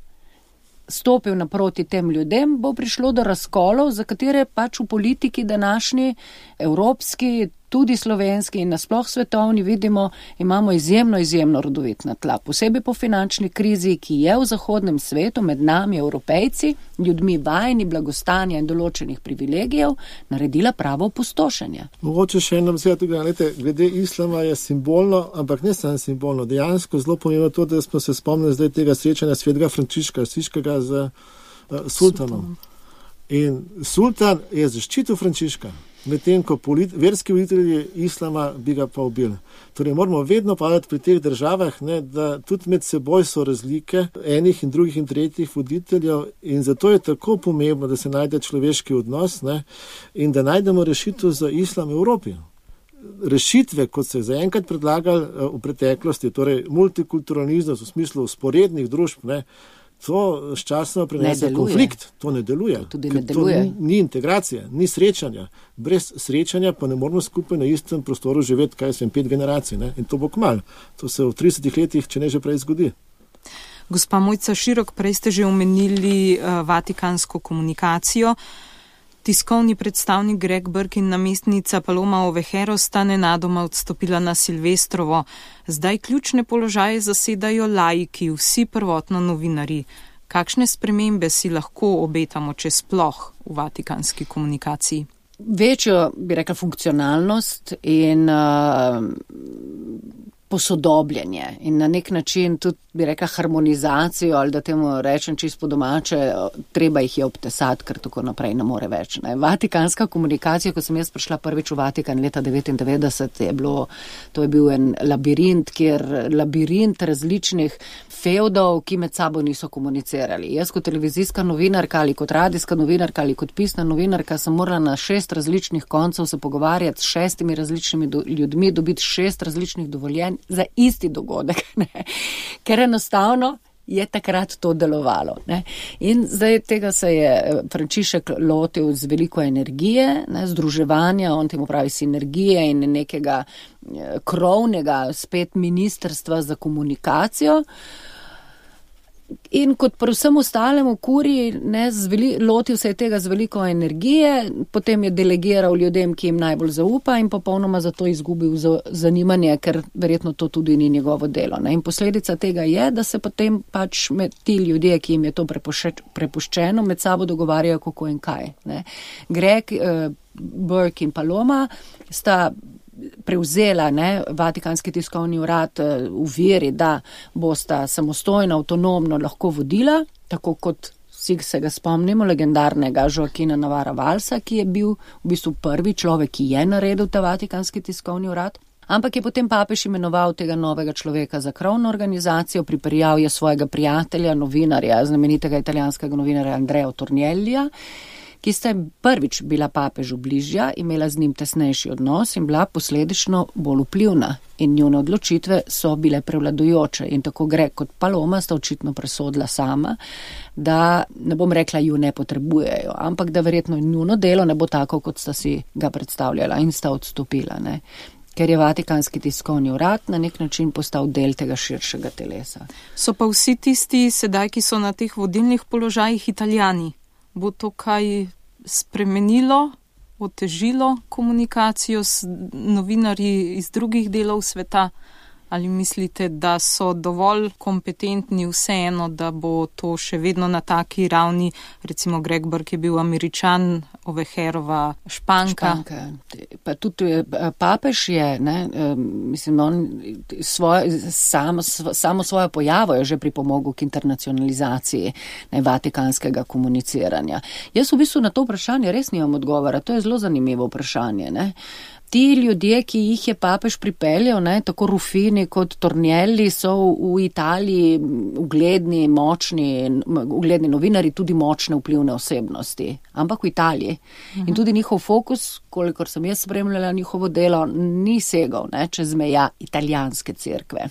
Speaker 3: stopil naproti tem ljudem, bo prišlo do razkolov, za katere pač v politiki današnji, evropski, tudi slovenski in nasploh svetovni vidimo, imamo izjemno, izjemno rodovitna tla. Posebej po finančni krizi, ki je v zahodnem svetu med nami, Evropejci, ljudmi vajeni blagostanja in določenih privilegijev, naredila pravo opustošenje.
Speaker 4: Mogoče še eno beseda tudi, glede, glede islama je simbolno, ampak ne samo simbolno, dejansko zelo pomembno to, da smo se spomnili zdaj tega srečanja svetega Frančiška, Asiškega z uh, sultanom. In sultan je zaščitil Frančiška, medtem ko polit, verski voditelji islama bi ga pa ubili. Torej moramo vedno padati pri teh državah, ne, da tudi med seboj so razlike enih in drugih in tretjih voditeljev in zato je tako pomembno, da se najde človeški odnos, ne, in da najdemo rešitev za islam v Evropi. Rešitve, kot se je zaenkrat predlagali v preteklosti, torej multikulturalizem v smislu sporednih družb, ne, to sčasno prinese konflikt. To ne deluje.
Speaker 3: To tudi ne deluje.
Speaker 4: To ni integracija, ni srečanja. Brez srečanja pa ne moramo skupaj na istem prostoru živeti, kaj sem, pet generacij. Ne? In to bo kmalu. To se v tridesetih letih, če ne že prej zgodi.
Speaker 2: Gospa Mojca Širok, prej ste že omenili uh, vatikansko komunikacijo. Tiskovni predstavnik Greg Burke in namestnica Paloma Ovejero sta nenadoma odstopila na Silvestrovo. Zdaj ključne položaje zasedajo laiki, vsi prvotno novinarji. Kakšne spremembe si lahko obetamo, če sploh v vatikanski komunikaciji?
Speaker 3: Večjo, bi rekla, funkcionalnost in uh, posodobljenje in na nek način tudi, bi rekla, harmonizacijo ali da temu rečem čisto po domače, treba jih je obtesati, ker tako naprej ne more več. Ne. Vatikanska komunikacija, ko sem jaz prišla prvič v Vatikan leta devetindevetdeset, je bilo, to je bil en labirint, kjer labirint različnih fevdov, ki med sabo niso komunicirali. Jaz kot televizijska novinarka ali kot radijska novinarka ali kot pisna novinarka sem morala na šest različnih koncev se pogovarjati s šestimi različnimi do, ljudmi, dobiti šest različnih dovoljenj za isti dogodek, ne. Ker enostavno je takrat to delovalo. Ne. In zdaj tega se je Frančišek lotil z veliko energije, ne, združevanja, on temu pravi sinergije in nekega krovnega spet ministrstva za komunikacijo. In kot pri vsem ostalem v kuriji, ne, zveli, lotil se je tega z veliko energije, potem je delegiral ljudem, ki jim najbolj zaupa in popolnoma zato izgubil zanimanje, ker verjetno to tudi ni njegovo delo. Ne. In posledica tega je, da se potem pač med ti ljudje, ki jim je to prepuščeno, med sabo dogovarjajo kako in kaj. Ne. Greg, eh, Burke in Paloma sta prevzela, ne, Vatikanski tiskovni urad v veri, da bosta samostojno, avtonomno lahko vodila, tako kot vsi se ga spomnimo, legendarnega Joaquina Navarra Valsa, ki je bil v bistvu prvi človek, ki je naredil ta Vatikanski tiskovni urad. Ampak je potem papež imenoval tega novega človeka za krovno organizacijo, pripeljal je svojega prijatelja, novinarja, znamenitega italijanskega novinarja Andrea Torniellija, ki sta prvič bila papežu bližja, imela z njim tesnejši odnos in bila posledično bolj vplivna. In njune odločitve so bile prevladujoče. In tako Greg kot Paloma sta očitno presodila sama, da ne bom rekla, ju ne potrebujejo, ampak da verjetno njuno delo ne bo tako, kot sta si ga predstavljala in sta odstopila. Ne. Ker je Vatikanski tiskovni urad na nek način postal del tega širšega telesa.
Speaker 2: So pa vsi tisti sedaj, ki so na teh vodilnih položajih, Italijani. Bo to kaj spremenilo, otežilo komunikacijo s novinarji iz drugih delov sveta? Ali mislite, da so dovolj kompetentni vseeno, da bo to še vedno na taki ravni, recimo Greg Burke je bil Američan, Ovejerova Španka?
Speaker 3: Španka. pa tudi papež je, ne, mislim, on svojo, samo, samo svojo pojavo je že pripomogel k internacionalizaciji ne, vatikanskega komuniciranja. Jaz v bistvu na to vprašanje res nimam odgovora, to je zelo zanimivo vprašanje, ne. Ti ljudje, ki jih je papež pripeljal, ne, tako Rufini kot Tornielli, so v Italiji ugledni, močni, ugledni novinari, tudi močne vplivne osebnosti, ampak v Italiji. Uh-huh. In tudi njihov fokus, kolikor sem jaz spremljala njihovo delo, ni segal ne, čez meja italijanske cerkve.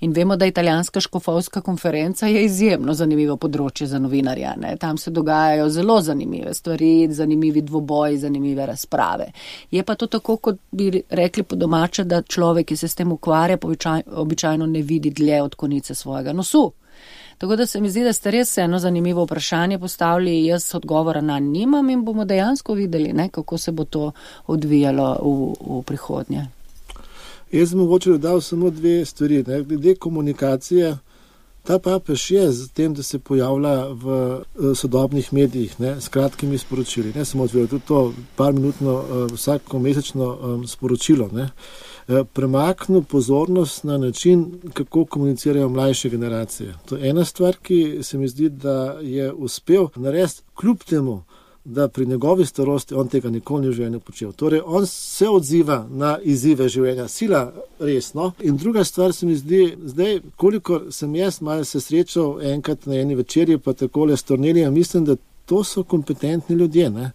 Speaker 3: In vemo, da italijanska škofovska konferenca je izjemno zanimivo področje za novinarja. Ne. Tam se dogajajo zelo zanimive stvari, zanimivi dvoboji, zanimive razprave. Je pa to tako, kot bi rekli po domače, da človek, ki se s tem ukvarja, običajno ne vidi dlje od konice svojega nosu. Tako da se mi zdi, da ste res eno zanimivo vprašanje postavili, jaz odgovora na nimam in bomo dejansko videli, ne, kako se bo to odvijalo v, v prihodnje.
Speaker 4: Jaz sem mogoče dodal samo dve stvari. Ne. Glede komunikacije, ta papež je z tem, da se pojavlja v sodobnih medijih ne, s kratkimi sporočili. Ne samo odvijal, tudi to par minutno vsako mesečno sporočilo. Ne. Premaknil pozornost na način, kako komunicirajo mlajše generacije. To je ena stvar, ki se mi zdi, da je uspel narediti kljub temu, da pri njegovi starosti on tega nikoli ni v življenju počel. Torej, on se odziva na izzive življenja, sila resno. In druga stvar se mi zdi, zdaj, kolikor sem jaz malo se srečal enkrat na eni večerji, pa takole s Tornellijem, mislim, da to so kompetentni ljudje. Ne?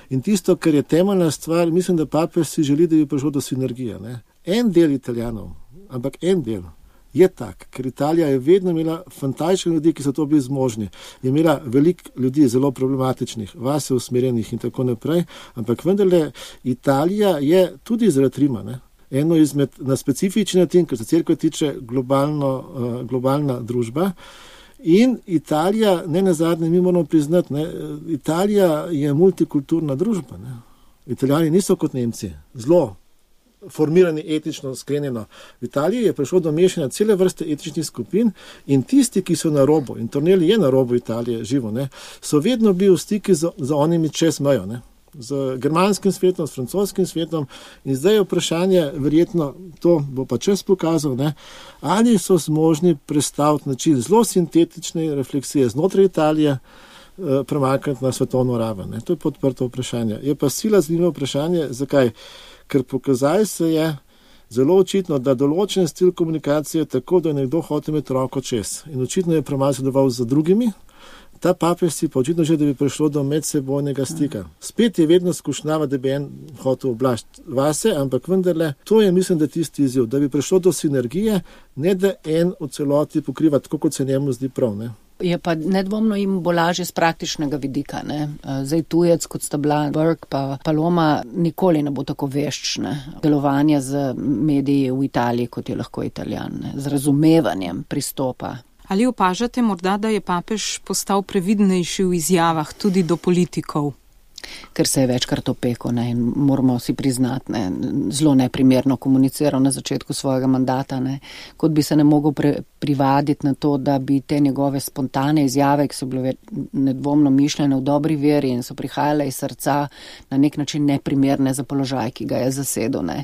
Speaker 4: In tisto, kar je temeljna stvar, mislim, da papež si želi, da bi prišlo do sinergije. Ne? En del Italijanov, ampak en del, je tak, ker Italija je vedno imela fantastične ljudi, ki so to bili zmožni. Je imela veliko ljudi zelo problematičnih, vase usmerjenih in tako naprej, ampak vendarle Italija je tudi zaradi Rima, ne? Eno izmed na specifični način, ker se cerkev tiče globalno, uh, globalna družba. In Italija, ne nazadnje, mi moramo priznati, ne, Italija je multikulturna družba. Ne? Italijani niso kot Nemci, zelo formirani etično, sklenjeno. V Italiji je prišlo do mešanja cele vrste etičnih skupin in tisti, ki so na robu, in Tornelli je na robu Italije živo, ne, so vedno bili v stiki z, z onimi čez mejo, ne, z germanskim svetom, s francoskim svetom in zdaj je vprašanje, verjetno to bo pa čas pokazal, ne, ali so zmožni predstaviti način zelo sintetične refleksije znotraj Italije, eh, premakniti na svetovno raven. Ne. To je podprto vprašanje. Je pa sila zanimivo vprašanje, zakaj? Ker pokazaj se je zelo očitno, da določen stil komunikacije tako, da je nekdo hotel imeti roko čez. In očitno je premalo sodeloval z drugimi. Ta papež si pa očitno že, da bi prišlo do medsebojnega stika. Spet je vedno skušnjava, da bi en hotel oblašiti vase, ampak vendarle, to je, mislim, da tisti izziv, da bi prišlo do sinergije, ne da en v celoti pokriva tako, kot se njemu zdi prav, ne.
Speaker 3: Je pa nedvomno jim bo lažje z praktičnega vidika. Ne? Zdaj tujec, kot sta bila Burke pa Paloma, nikoli ne bo tako vešč ne? Delovanja z mediji v Italiji, kot je lahko Italijan, ne? Z razumevanjem pristopa.
Speaker 2: Ali opažate morda, da je papež postal previdnejši v izjavah tudi do politikov?
Speaker 3: Ker se je večkrat opekel, ne, in moramo si priznati, ne, zelo neprimerno komuniciral na začetku svojega mandata, ne, kot bi se ne mogel pre, privaditi na to, da bi te njegove spontane izjave, ki so bile nedvomno mišljene v dobri veri in so prihajale iz srca, na nek način neprimerne za položaj, ki ga je zasedel, ne.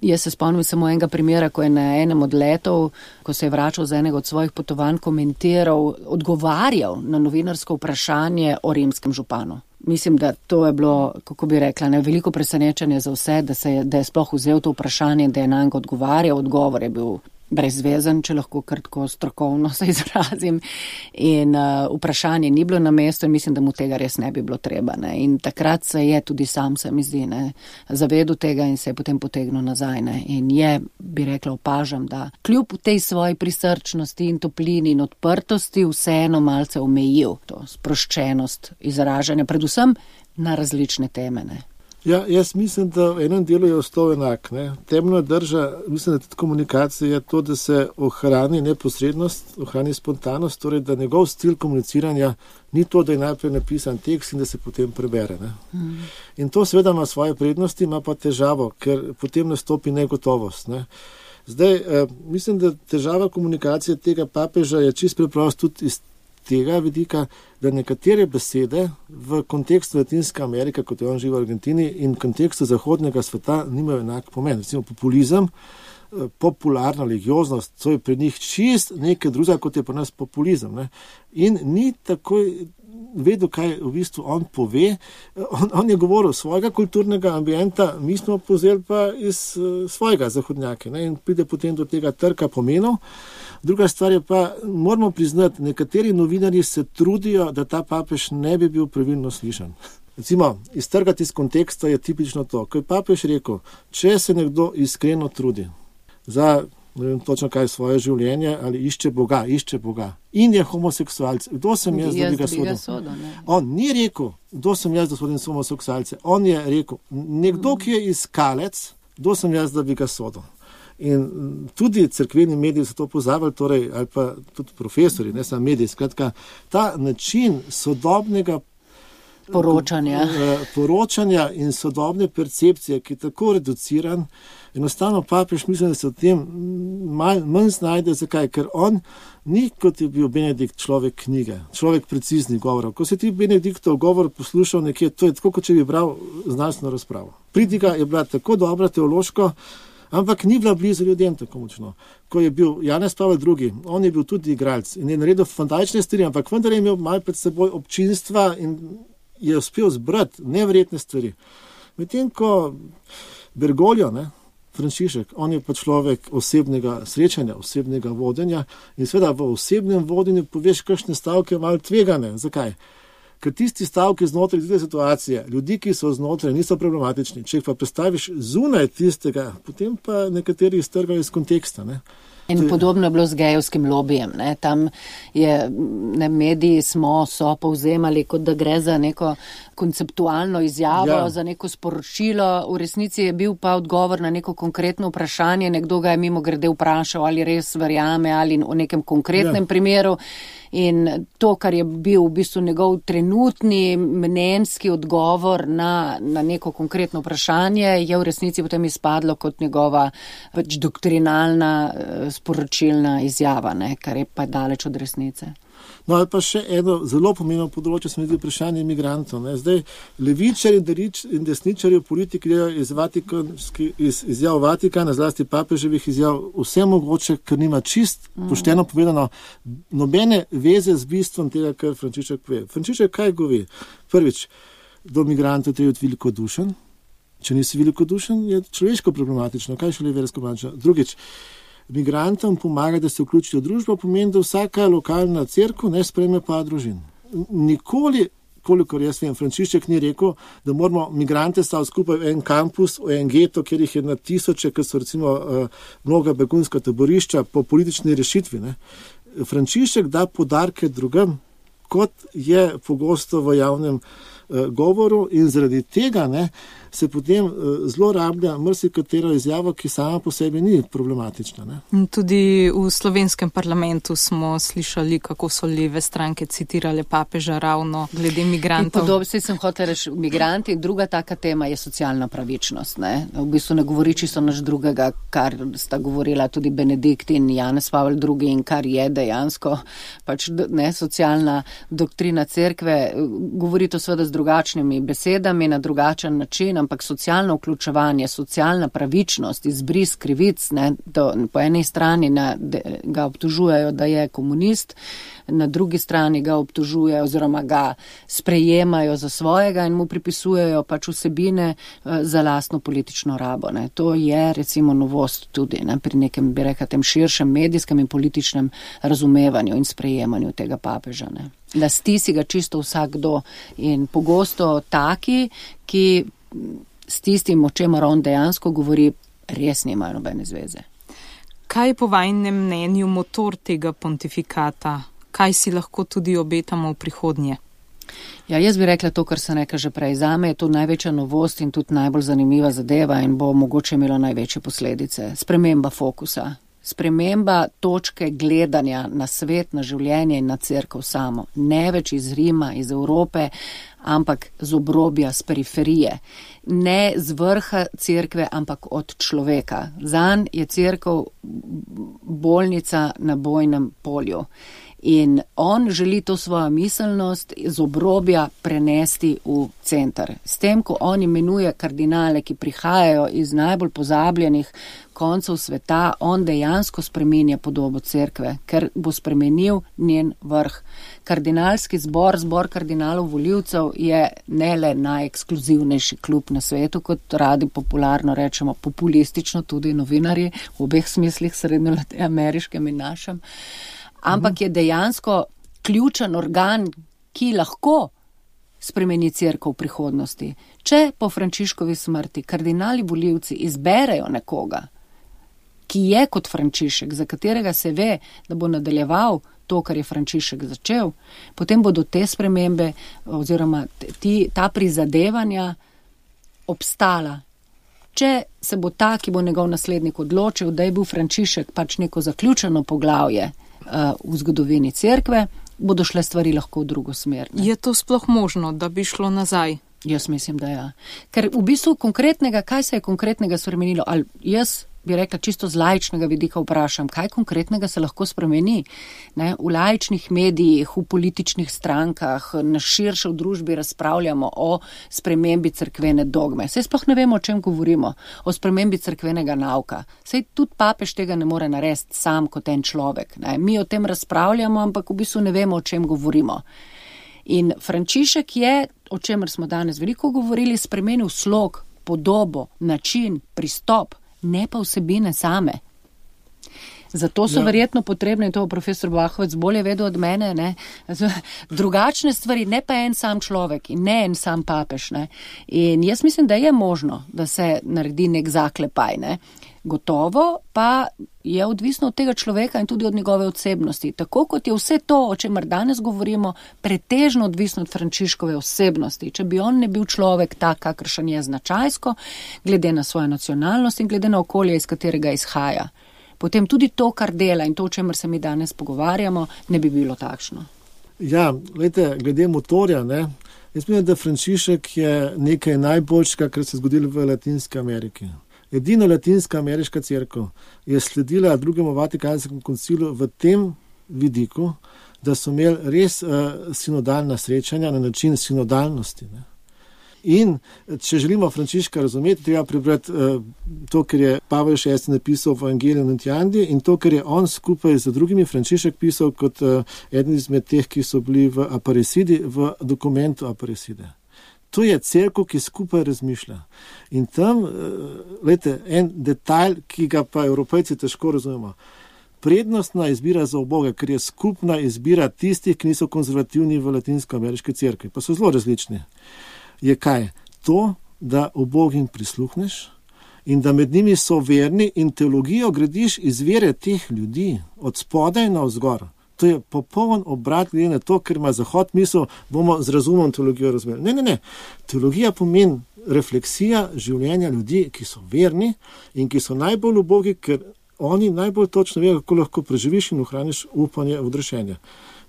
Speaker 3: Jaz se spomnim samo enega primera, ko je na enem od letov, ko se je vračal z enega od svojih potovanj, komentiral, odgovarjal na novinarsko vprašanje o rimskem županu. Mislim, da to je bilo, kako bi rekla, ne, veliko presenečenje za vse, da, se je, da je sploh vzel to vprašanje, da je na njega odgovarjal. Odgovor je bil brezvezen, če lahko kratko strokovno se izrazim. In uh, vprašanje ni bilo na mestu in mislim, da mu tega res ne bi bilo treba. Ne. In takrat se je tudi sam, se mi zdi, ne, zavedel tega in se je potem potegnil nazaj. Ne. In je, bi rekla, opažam, da kljub tej svoji prisrčnosti in toplini in odprtosti vseeno malce omejil to sproščenost izražanja, predvsem na različne teme. Ne.
Speaker 4: Ja, jaz mislim, da v enem delu je ostal enak. Ne. Temno drža, mislim, da tudi komunikacija je to, da se ohrani neposrednost, ohrani spontanost, torej da njegov stil komuniciranja ni to, da je najprej napisan tekst in da se potem prebere. Ne. Mm. In to seveda ima svoje prednosti, ima pa težavo, ker potem nastopi negotovost. Ne. Zdaj, eh, mislim, da težava komunikacije tega papeža je čist preprosto tudi iz tega vidika, da nekatere besede v kontekstu Latinske Amerike, kot je on živi v Argentini, in v kontekstu zahodnega sveta nimajo enak pomen. Recimo populizem, popularna religioznost, to je pri njih čist nekaj drugega, kot je pri nas populizem. Ne? In ni takoj vedel, kaj v bistvu on pove. On, on je govoril svojega kulturnega ambienta, mi smo povzeli pa iz uh, svojega zahodnjaka, ne? In pride potem do tega trka pomenov. Druga stvar je pa, moramo priznati, nekateri novinarji se trudijo, da ta papež ne bi bil pravilno slišan. Recimo, iztrgati iz konteksta je tipično to, ko je papež rekel, če se nekdo iskreno trudi za, ne vem točno kaj, svoje življenje ali išče Boga, išče Boga in je homoseksualc. Kdo sem jaz, da bi ga sodil? On ni rekel, kdo sem jaz, da sodim homoseksualce. On je rekel, nekdo, ki je iskalec, kdo sem jaz, da bi ga sodil. In tudi cerkveni mediji so to pozabili, torej, ali pa tudi profesori, ne samo mediji, skratka, ta način sodobnega
Speaker 3: poročanja.
Speaker 4: poročanja in sodobne percepcije, ki je tako reduciran, enostavno papež mislim, da se v tem manj, manj znajde. Zakaj? Ker on ni, kot je bil Benedikt, človek knjige, človek preciznih govorov. Ko si ti Benediktov govor poslušal nekje, to je tako, kot če bi bral znanstveno razpravo. Pridiga je bila tako dobra teološko, ampak ni bila blizu ljudem tako močno. Ko je bil Janez Pavel drugi, on je bil tudi igralec in je naredil fantastične stvari, ampak vendar je imel malo pred seboj občinstva in je uspel zbrati neverjetne stvari. Medtem ko Bergoglio, ne, Frančišek, on je pa človek osebnega srečanja, osebnega vodenja in seveda v osebnem vodenju poveš kakšne stavke malo tvegane. Zakaj? Ker tisti stavki znotraj tiste situacije, ljudi, ki so znotraj, niso problematični. Če jih pa predstaviš zunaj tistega, potem pa nekateri iztrgajo iz konteksta. Ne?
Speaker 3: In podobno je bilo z gejevskim lobijem. Ne? Tam je, ne, mediji smo, so povzemali, kot da gre za neko konceptualno izjavo, ja. Za neko sporočilo. V resnici je bil pa odgovor na neko konkretno vprašanje. Nekdo ga je mimo grede vprašal, ali res verjame, ali v nekem konkretnem ja. primeru. In to, kar je bil v bistvu njegov trenutni mnenjski odgovor na, na neko konkretno vprašanje, je v resnici potem izpadlo kot njegova pač doktrinalna sporočilna izjava, ne, kar je pa daleč od resnice.
Speaker 4: No, ali pa še eno zelo pomembno področje, smo videli vprašanje imigrantov. Ne. Zdaj, levičari in desničari v politiki gledajo iz, iz izjav Vatikana, zlasti papeževih izjav, vse mogoče, ker nima čist, pošteno povedano, nobene veze z bistvom tega, kar Frančišek pove. Frančišek kaj govori? Prvič, do migrantov treba biti velikodušen. Če nisi velikodušen, je človeško problematično. Kaj šele versko problematično? Drugič, migrantom pomaga, da se vključijo v družbo, pomeni, da vsaka lokalna cerkev ne sprejme pa družin. Nikoli, kolikor jaz vem, Frančišek ni rekel, da moramo migrante staviti skupaj v en kampus, v en geto, kjer jih je na tisoče, ker so recimo uh, mnoga begunska taborišča po politični rešitvi. Ne. Frančišek da podarke drugem, kot je pogosto v javnem uh, govoru in zaradi tega ne, se potem uh, zelo rablja marsikatero izjavo, ki sama po sebi ni problematična. Ne?
Speaker 2: Tudi v slovenskem parlamentu smo slišali, kako so leve stranke citirale papeža ravno glede migrantov.
Speaker 3: Podobno se sem hotel reči, migranti. Druga taka tema je socialna pravičnost. Ne? V bistvu ne govori čisto naš drugega, kar sta govorila tudi Benedikt in Janez Pavel drugi in kar je dejansko pač ne, socialna doktrina cerkve. Govori to seveda z drugačnimi besedami, na drugačen način, ampak socialno vključevanje, socialna pravičnost, izbris krivic, ne, to, po eni strani na, de, ga obtožujejo, da je komunist, na drugi strani ga obtožujejo oziroma ga sprejemajo za svojega in mu pripisujejo pač vsebine uh, za lastno politično rabo. Ne. To je recimo novost tudi ne, pri nekem, bi rekel, tem širšem medijskem in političnem razumevanju in sprejemanju tega papeža. Ne. Lasti si ga čisto vsakdo in pogosto taki, ki s tistim, o čemer on dejansko govori, res nimajo nobene zveze.
Speaker 2: Kaj je po vajnem mnenju motor tega pontifikata? Kaj si lahko tudi obetamo v prihodnje?
Speaker 3: Ja, jaz bi rekla to, kar sem rekla že prej. Zame je to največja novost in tudi najbolj zanimiva zadeva in bo mogoče imelo največje posledice. Sprememba fokusa. Sprememba točke gledanja na svet, na življenje in na cerkev samo. Ne več iz Rima, iz Evrope, ampak z obrobja, z periferije. Ne z vrha cerkve, ampak od človeka. Zanj je cerkev bolnica na bojnem polju. In on želi to svojo miselnost z obrobja prenesti v center. S tem, ko on imenuje kardinale, ki prihajajo iz najbolj pozabljenih koncev sveta, on dejansko spreminja podobo cerkve, ker bo spremenil njen vrh. Kardinalski zbor, zbor kardinalov volivcev je ne le najekskluzivnejši klub na svetu, kot radi popularno rečemo, populistično tudi novinarji, v obeh smislih, srednjeameriškem in našem, ampak je dejansko ključen organ, ki lahko spremeni cerkev v prihodnosti. Če po Frančiškovi smrti kardinali volivci izberejo nekoga, ki je kot Frančišek, za katerega se ve, da bo nadaljeval to, kar je Frančišek začel, potem bodo te spremembe oziroma ti, ta prizadevanja obstala. Če se bo ta, ki bo njegov naslednik odločil, da je bil Frančišek pač neko zaključeno poglavje uh, v zgodovini cerkve, bodo šle stvari lahko v drugo smer. Ne?
Speaker 2: Je to sploh možno, da bi šlo nazaj?
Speaker 3: Jaz mislim, da ja. Ker v bistvu konkretnega, kaj se je konkretnega spremenilo? Ali jaz bi rekla čisto z laičnega vidika vprašam, kaj konkretnega se lahko spremeni? Ne? V laičnih medijih, v političnih strankah, na širše v družbi razpravljamo o spremembi cerkvene dogme. Saj sploh ne vemo, o čem govorimo, o spremembi cerkvenega nauka. Saj tudi papež tega ne more narediti sam kot en človek. Ne? Mi o tem razpravljamo, ampak v bistvu ne vemo, o čem govorimo. In Frančišek je, o čemer smo danes veliko govorili, spremenil slog, podobo, način, pristop, ne pa vsebine same. Zato so ja. verjetno potrebne, in to profesor Bahovec bolje vedel od mene, ne, drugačne stvari, ne pa en sam človek in ne en sam papež. Ne. In jaz mislim, da je možno, da se naredi nek zaklepaj. Ne. Gotovo pa je odvisno od tega človeka in tudi od njegove osebnosti. Tako kot je vse to, o čemer danes govorimo, pretežno odvisno od Frančiškove osebnosti. Če bi on ne bil človek tak, kakršen je značajsko, glede na svojo nacionalnost in glede na okolje, iz katerega izhaja, potem tudi to, kar dela in to, o čemer se mi danes pogovarjamo, ne bi bilo takšno.
Speaker 4: Ja, glede, glede motorja, ne, jaz mislim, da Frančišek je nekaj najboljšega, kar se je zgodilo v Latinski Ameriki. Edina latinska ameriška cerkev je sledila drugemu Vatikanskemu koncilu v tem vidiku, da so imeli res uh, sinodalna srečanja na način sinodalnosti. Ne. In če želimo Frančiška razumeti, treba prebrati uh, to, kar je Pavel šesti napisal v Evangeliju Nuntiandi in to, kar je on skupaj z drugimi Frančišek pisal kot uh, eden izmed teh, ki so bili v Aparecidi, v dokumentu Aparecide. To je cerkev, ki skupaj razmišlja. In tam, gledajte, en detalj, ki ga pa Evropejci težko razumemo. Prednostna izbira za uboge, ker je skupna izbira tistih, ki niso konzervativni v latinsko-ameriški cerkvi, pa so zelo različni. Je kaj? To, da ubogim prisluhneš in da med njimi so verni in teologijo gradiš iz vere teh ljudi, od spodaj na vzgor. To je popoln obrat glede na to, ker ima Zahod misel, bomo z razumom teologijo razumeli. Ne, ne, ne. Teologija pomeni refleksija življenja ljudi, ki so verni in ki so najbolj ubogi, ker oni najbolj točno vejo, kako lahko preživiš in ohraniš upanje v odrešenje.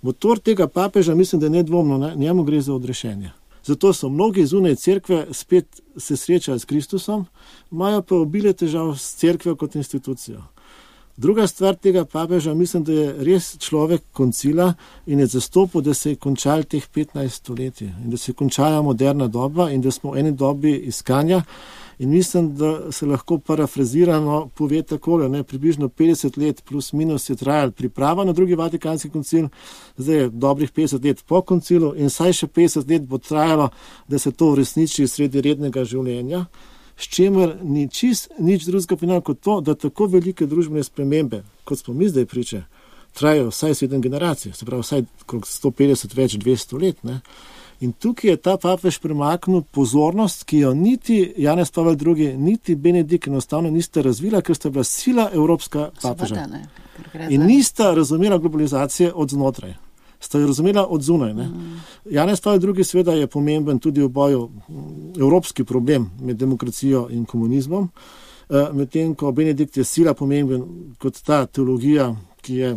Speaker 4: Motor tega papeža mislim, da je nedvomno, ne? Njemu gre za odrešenje. Zato so mnogi zunaj cerkve spet se srečali s Kristusom, imajo pa obile težav s cerkvijo kot institucijo. Druga stvar tega papeža, mislim, da je res človek koncila in je zastopil, da se je končal teh petnajst stoletij in da se je končala moderna doba in da smo v eni dobi iskanja in mislim, da se lahko parafrazirano pove takole, ne, približno petdeset let plus minus je trajal priprava na drugi Vatikanski koncil, zdaj je dobrih petdeset let po koncilu in saj še petdeset let bo trajalo, da se to uresniči sredi rednega življenja. S čemer ni čist nič drugega pinal kot to, da tako velike družbene spremembe, kot smo mi zdaj priče, trajajo vsaj sedem generacij, se pravi vsaj sto petdeset več dvesto let. Ne? In tukaj je ta papež premaknil pozornost, ki jo niti Janez Pavel drugi, niti Benedikt enostavno nista razvila, ker sta bila sila evropska papeža. In nista razumela globalizacije od znotraj. Sta jo razumela od zunaj. Ne? Mm. Janez Pavel drugi seveda je pomemben tudi v boju evropski problem med demokracijo in komunizmom, medtem ko Benedikt je sila pomemben kot ta teologija, ki je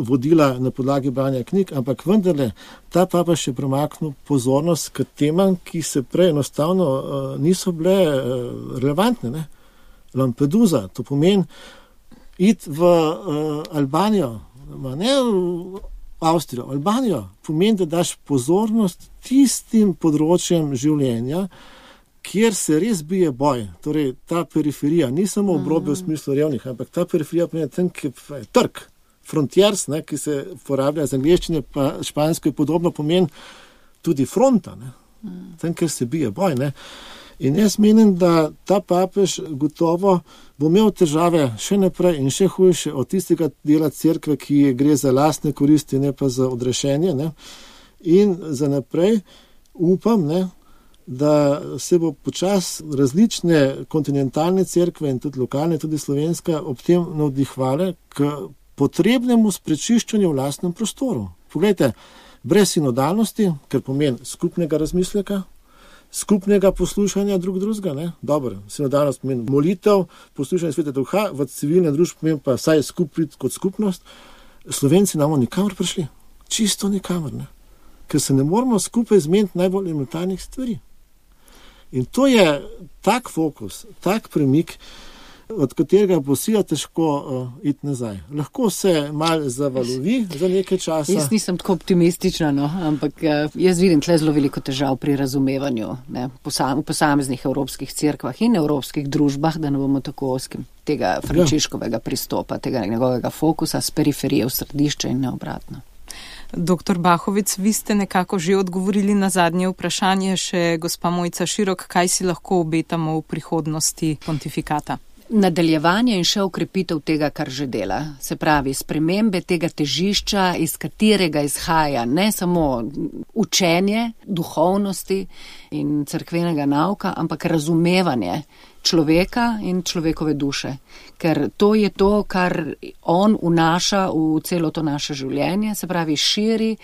Speaker 4: vodila na podlagi branja knjig, ampak vendarle ta papež je premaknil pozornost k temam, ki se prej enostavno niso bile relevantne. Ne? Lampedusa, to pomeni iti v Albanijo, ne Avstrijo, Albanijo, pomeni, da daš pozornost tistim področjem življenja, kjer se res bije boj. Torej, ta periferija, ni samo obrobje v smislu revnih, ampak ta periferija pomeni tam, ki je trg, frontiers, ne, ki se uporablja z angleščine, pa špansko je podobno, pomeni tudi fronta, ne, tam, kjer se bije boj. Ne. In jaz menim, da ta papež gotovo bo imel težave še naprej in še hujše od tistega dela cerkve, ki gre za lastne koristi, ne pa za odrešenje. Ne. In za naprej upam, ne, da se bo počas različne kontinentalne cerkve in tudi lokalne, tudi slovenska, ob tem navdihvale k potrebnemu sprečiščanju v lastnem prostoru. Poglejte, brez sinodalnosti, ker pomeni skupnega razmisleka, skupnega poslušanja drug drugega, ne? Dobro, sinodalnost pomeni molitev, poslušanje Svetega Duha, v civilne družbe pomeni pa vsaj skupit kot skupnost. Slovenci namo nikamor prišli, čisto nikamor, ne? Ker se ne moramo skupaj zmeniti najbolj elementarnih stvari. In to je tak fokus, tak premik, od katerega bo sila težko uh, iti nazaj. Lahko se malo zavalovi za nekaj časa.
Speaker 3: Jaz nisem tako optimistična, no, ampak uh, jaz vidim tle zelo veliko težav pri razumevanju, ne, posam, v posameznih evropskih cerkvah in evropskih družbah, da ne bomo tako oskim tega Frančiškovega pristopa, tega njegovega fokusa z periferije v središče in ne obratno.
Speaker 2: Doktor Bahovec, vi ste nekako že odgovorili na zadnje vprašanje, še gospa Mojca Širok, kaj si lahko obetamo v prihodnosti pontifikata?
Speaker 3: Nadaljevanje in še ukrepitev tega, kar že dela. Se pravi, spremembe tega težišča, iz katerega izhaja ne samo učenje duhovnosti in cerkvenega nauka, ampak razumevanje človeka in človekove duše. Ker to je to, kar on vnaša v celo to naše življenje, se pravi, širi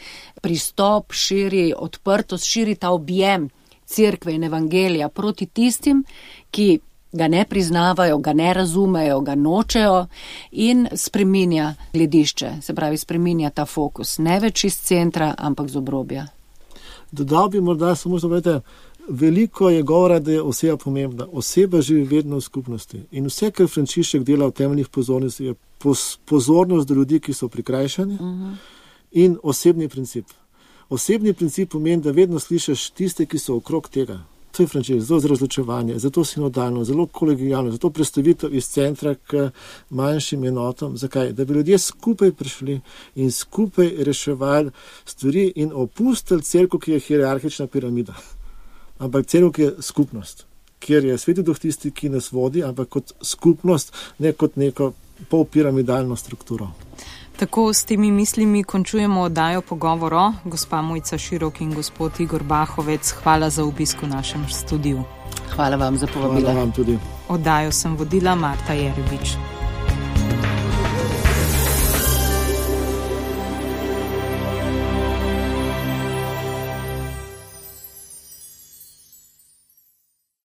Speaker 3: pristop, širi odprtost, širi ta objem cerkve in evangelija proti tistim, ki ga ne priznavajo, ga ne razumejo, ga nočejo in spreminja gledišče, se pravi, spreminja ta fokus, ne več iz centra, ampak z obrobja.
Speaker 4: Dodal bi morda samo, da vedete, veliko je govora, da je oseba pomembna. Oseba živi vedno v skupnosti in vse, kar Frančišek dela v temeljnih pozornosti, je pozornost do ljudi, ki so prikrajšani uh-huh. in osebni princip. Osebni princip pomeni, da vedno slišiš tiste, ki so okrog tega. To je Frančišek, zelo za razločevanje, zato sinodalno, zelo kolegijalno, zato predstavitev iz centra k manjšim enotam. Zakaj? Da bi ljudje skupaj prišli in skupaj reševali stvari in opustili cerkev, ki je hierarhična piramida. Ampak cerkev, ki je skupnost, kjer je Sveti Duh tisti, ki nas vodi, ampak kot skupnost, ne kot neko polpiramidalno strukturo.
Speaker 2: Tako s temi mislimi končujemo oddajo Pogovoro. Gospa Mojca Širok in gospod Igor Bahovec, hvala za obisk v našem studiu.
Speaker 3: Hvala vam za povabilo.
Speaker 4: Hvala vam tudi.
Speaker 2: Oddajo sem vodila Marta Jerebič.